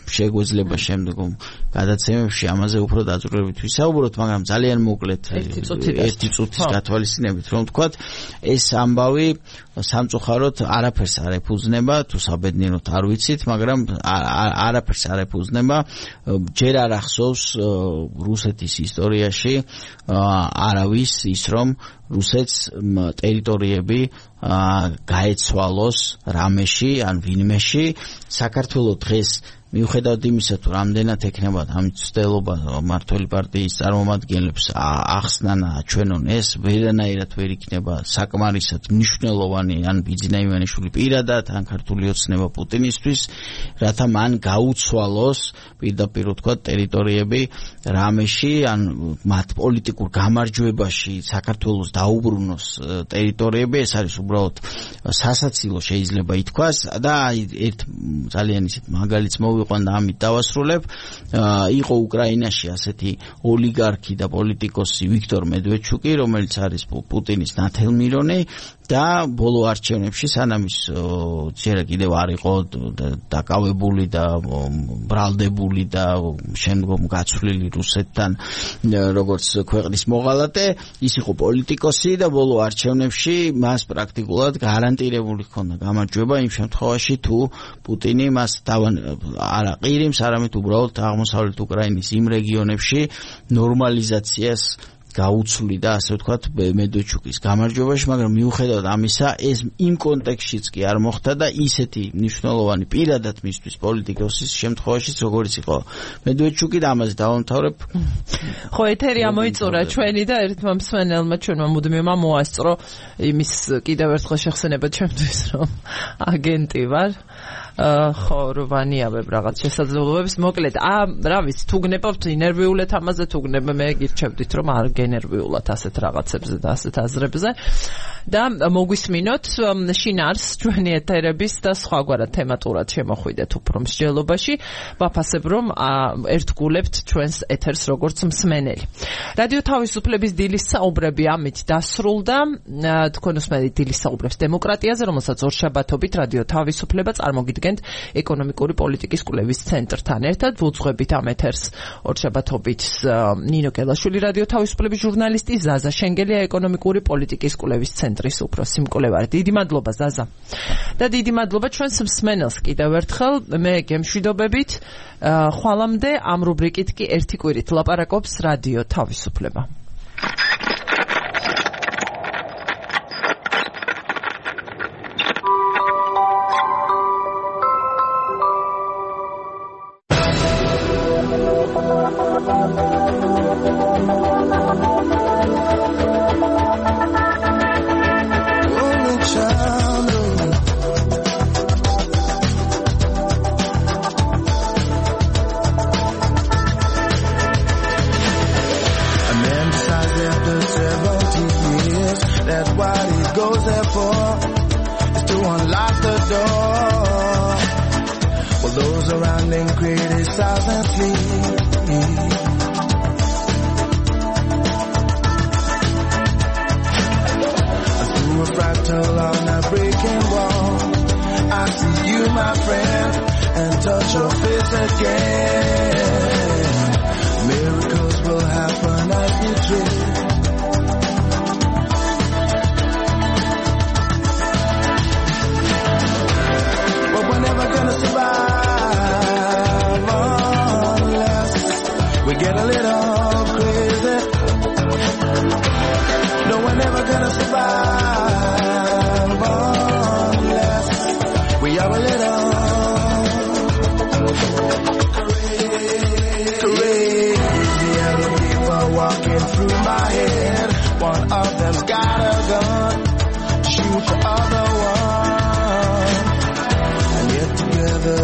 შეგვეძლება შემდგომ გადაცემებში ამაზე უფრო დაძვრებით ვისაუბროთ, მაგრამ ძალიან მოკლედ ერთი წუთის გათვალისწინებით რომ ვთქვათ, ეს ამბავი სამწუხაროდ არაფერს არ ეფუძნება, თუ საბედნიეროდ არ ვიცით, მაგრამ არაფერს არ ეფუძნება, ჯერ არ ახსოვს რუსეთის ისტორიაში არავის ის რომ რუსეთს ტერიტორიები გაეცვალოს რამეში ან ვინმეში. საქართველოს დღეს მიუხედავად იმისა, თუ რამდენად ექნება ამ ცდელობა მმართველი პარტიის წარმომადგენლებს ახსნან აჩვენონ, ეს ვერანაირად ვერ იქნება საკმარისად მნიშვნელოვანი ან ბიძინა ივანიშვილი პირადად ან ქართული ოცნება პუტინისთვის, რათა მან გაუცვალოს პირდაპირ ვთქვათ ტერიტორიები რამეში ან მათ პოლიტიკურ გამარჯვებაში საქართველოს დაუბრუნოს ტერიტორიები. ეს არის უბრალოდ სასაცილო შეიძლება ითქვას და ერთ ძალიან ისეთ მაგალითს მოვიყვან და ამით დავასრულებ. იყო უკრაინაში ასეთი ოლიგარქი და პოლიტიკოსი ვიქტორ მედვედჩუკი, რომელიც არის პუტინის ნათელმირონი და ბოლო არჩევნებში სანამ ის ჯერ კიდევ არ იყო დაკავებული და ბრალდებული და შემდგომ გაცვლილი რუსეთთან როგორც ქვეყნის მოღალატე, ის იყო პოლიტიკოსი და ბოლო არჩევნებში მას პრაქტიკულად გარანტირებული ჰქონდა გამარჯვება იმ შემთხვევაში თუ პუტინი მას არა ყირიმს, არამედ უბრალოდ აღმოსავლეთ უკრაინის იმ რეგიონებში ნორმალიზაციას გაუცვლიდა, ასე ვთქვათ, მედვედჩუკის გამარჯვებაში, მაგრამ მიუხედავად ამისა, ეს იმ კონტექსტშიც კი არ მოხდა და ისეთი მნიშვნელოვანი პირადად მისთვის პოლიტიკოსის შემთხვევაშიც, როგორც იყო მედვედჩუკი და ამაზე დავამთავრებ. ხო, ეთერი ამოიწურა ჩვენი და ერთმა მსმენელმა ჩვენმა მუდმივმა მოასწრო იმის კიდევ ერთხელ შეხსენება ჩემთვის, რომ აგენტი ვარ. ხო, რვანიავებ რაღაც შესაძლებლობებს. მოკლედ, რა ვიცი, თუ გნებავთ ინერვიულად ამაზე, თუ გნება მე გირჩევდით, რომ არ გენერვიულად ასეთ რაღაცებზე და ასეთ აზრებზე. და მოგვისმინოთ შინარს ჩვენი ეთერების და სხვაგვარად თემატურად შემოხვიდეთ უფრო მსჯელობაში. ვაფასებ, რომ ერთგულებთ ჩვენს ეთერს როგორც მსმენელი. რადიო თავისუფლების დილის საუბრები ამით დასრულდა. თქვენ უსმენთ დილის საუბრებს დემოკრატიაზე, რომელსაც ორშაბათობით რადიო თავისუფლება წარმოგიდგენთ ეკონომიკური პოლიტიკის კვლევის ცენტრთან ერთად. ვუძღვებით ამ ეთერს ორშაბათობით ნინო კელაშვილი რადიო თავისუფლების ჟურნალისტი, ზაზა შენგელია ეკონომიკური პოლიტიკის კვლევის ცენტრის უფროსი მკვლევარი. დიდი მადლობა ზაზა. და დიდი მადლობა ჩვენს მსმენელს კიდევ ერთხელ. მე გემშვიდობებით. ხვალამდე ამ რუბრიკით კი ერთი კვირით ლაპარაკობს რადიო თავისუფლება.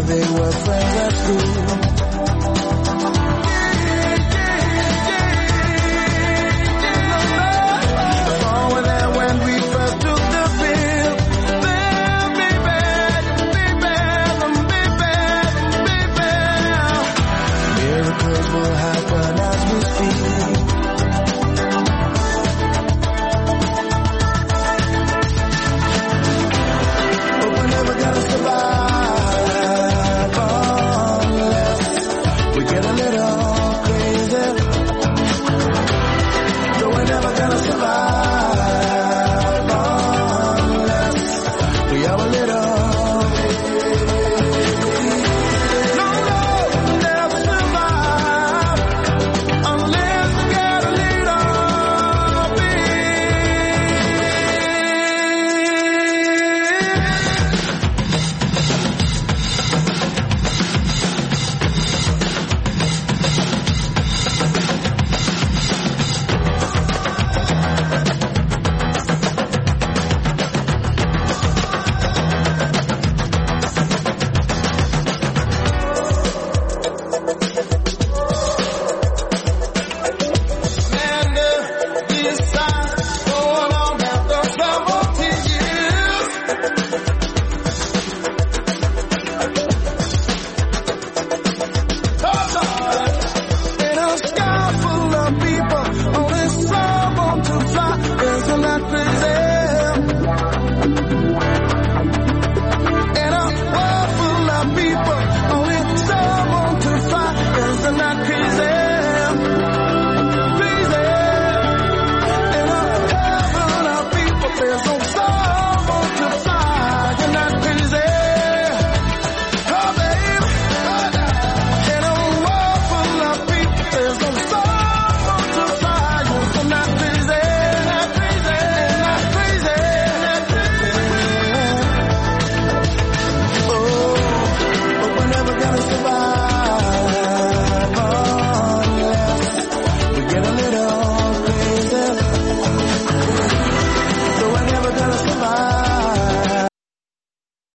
They were friends.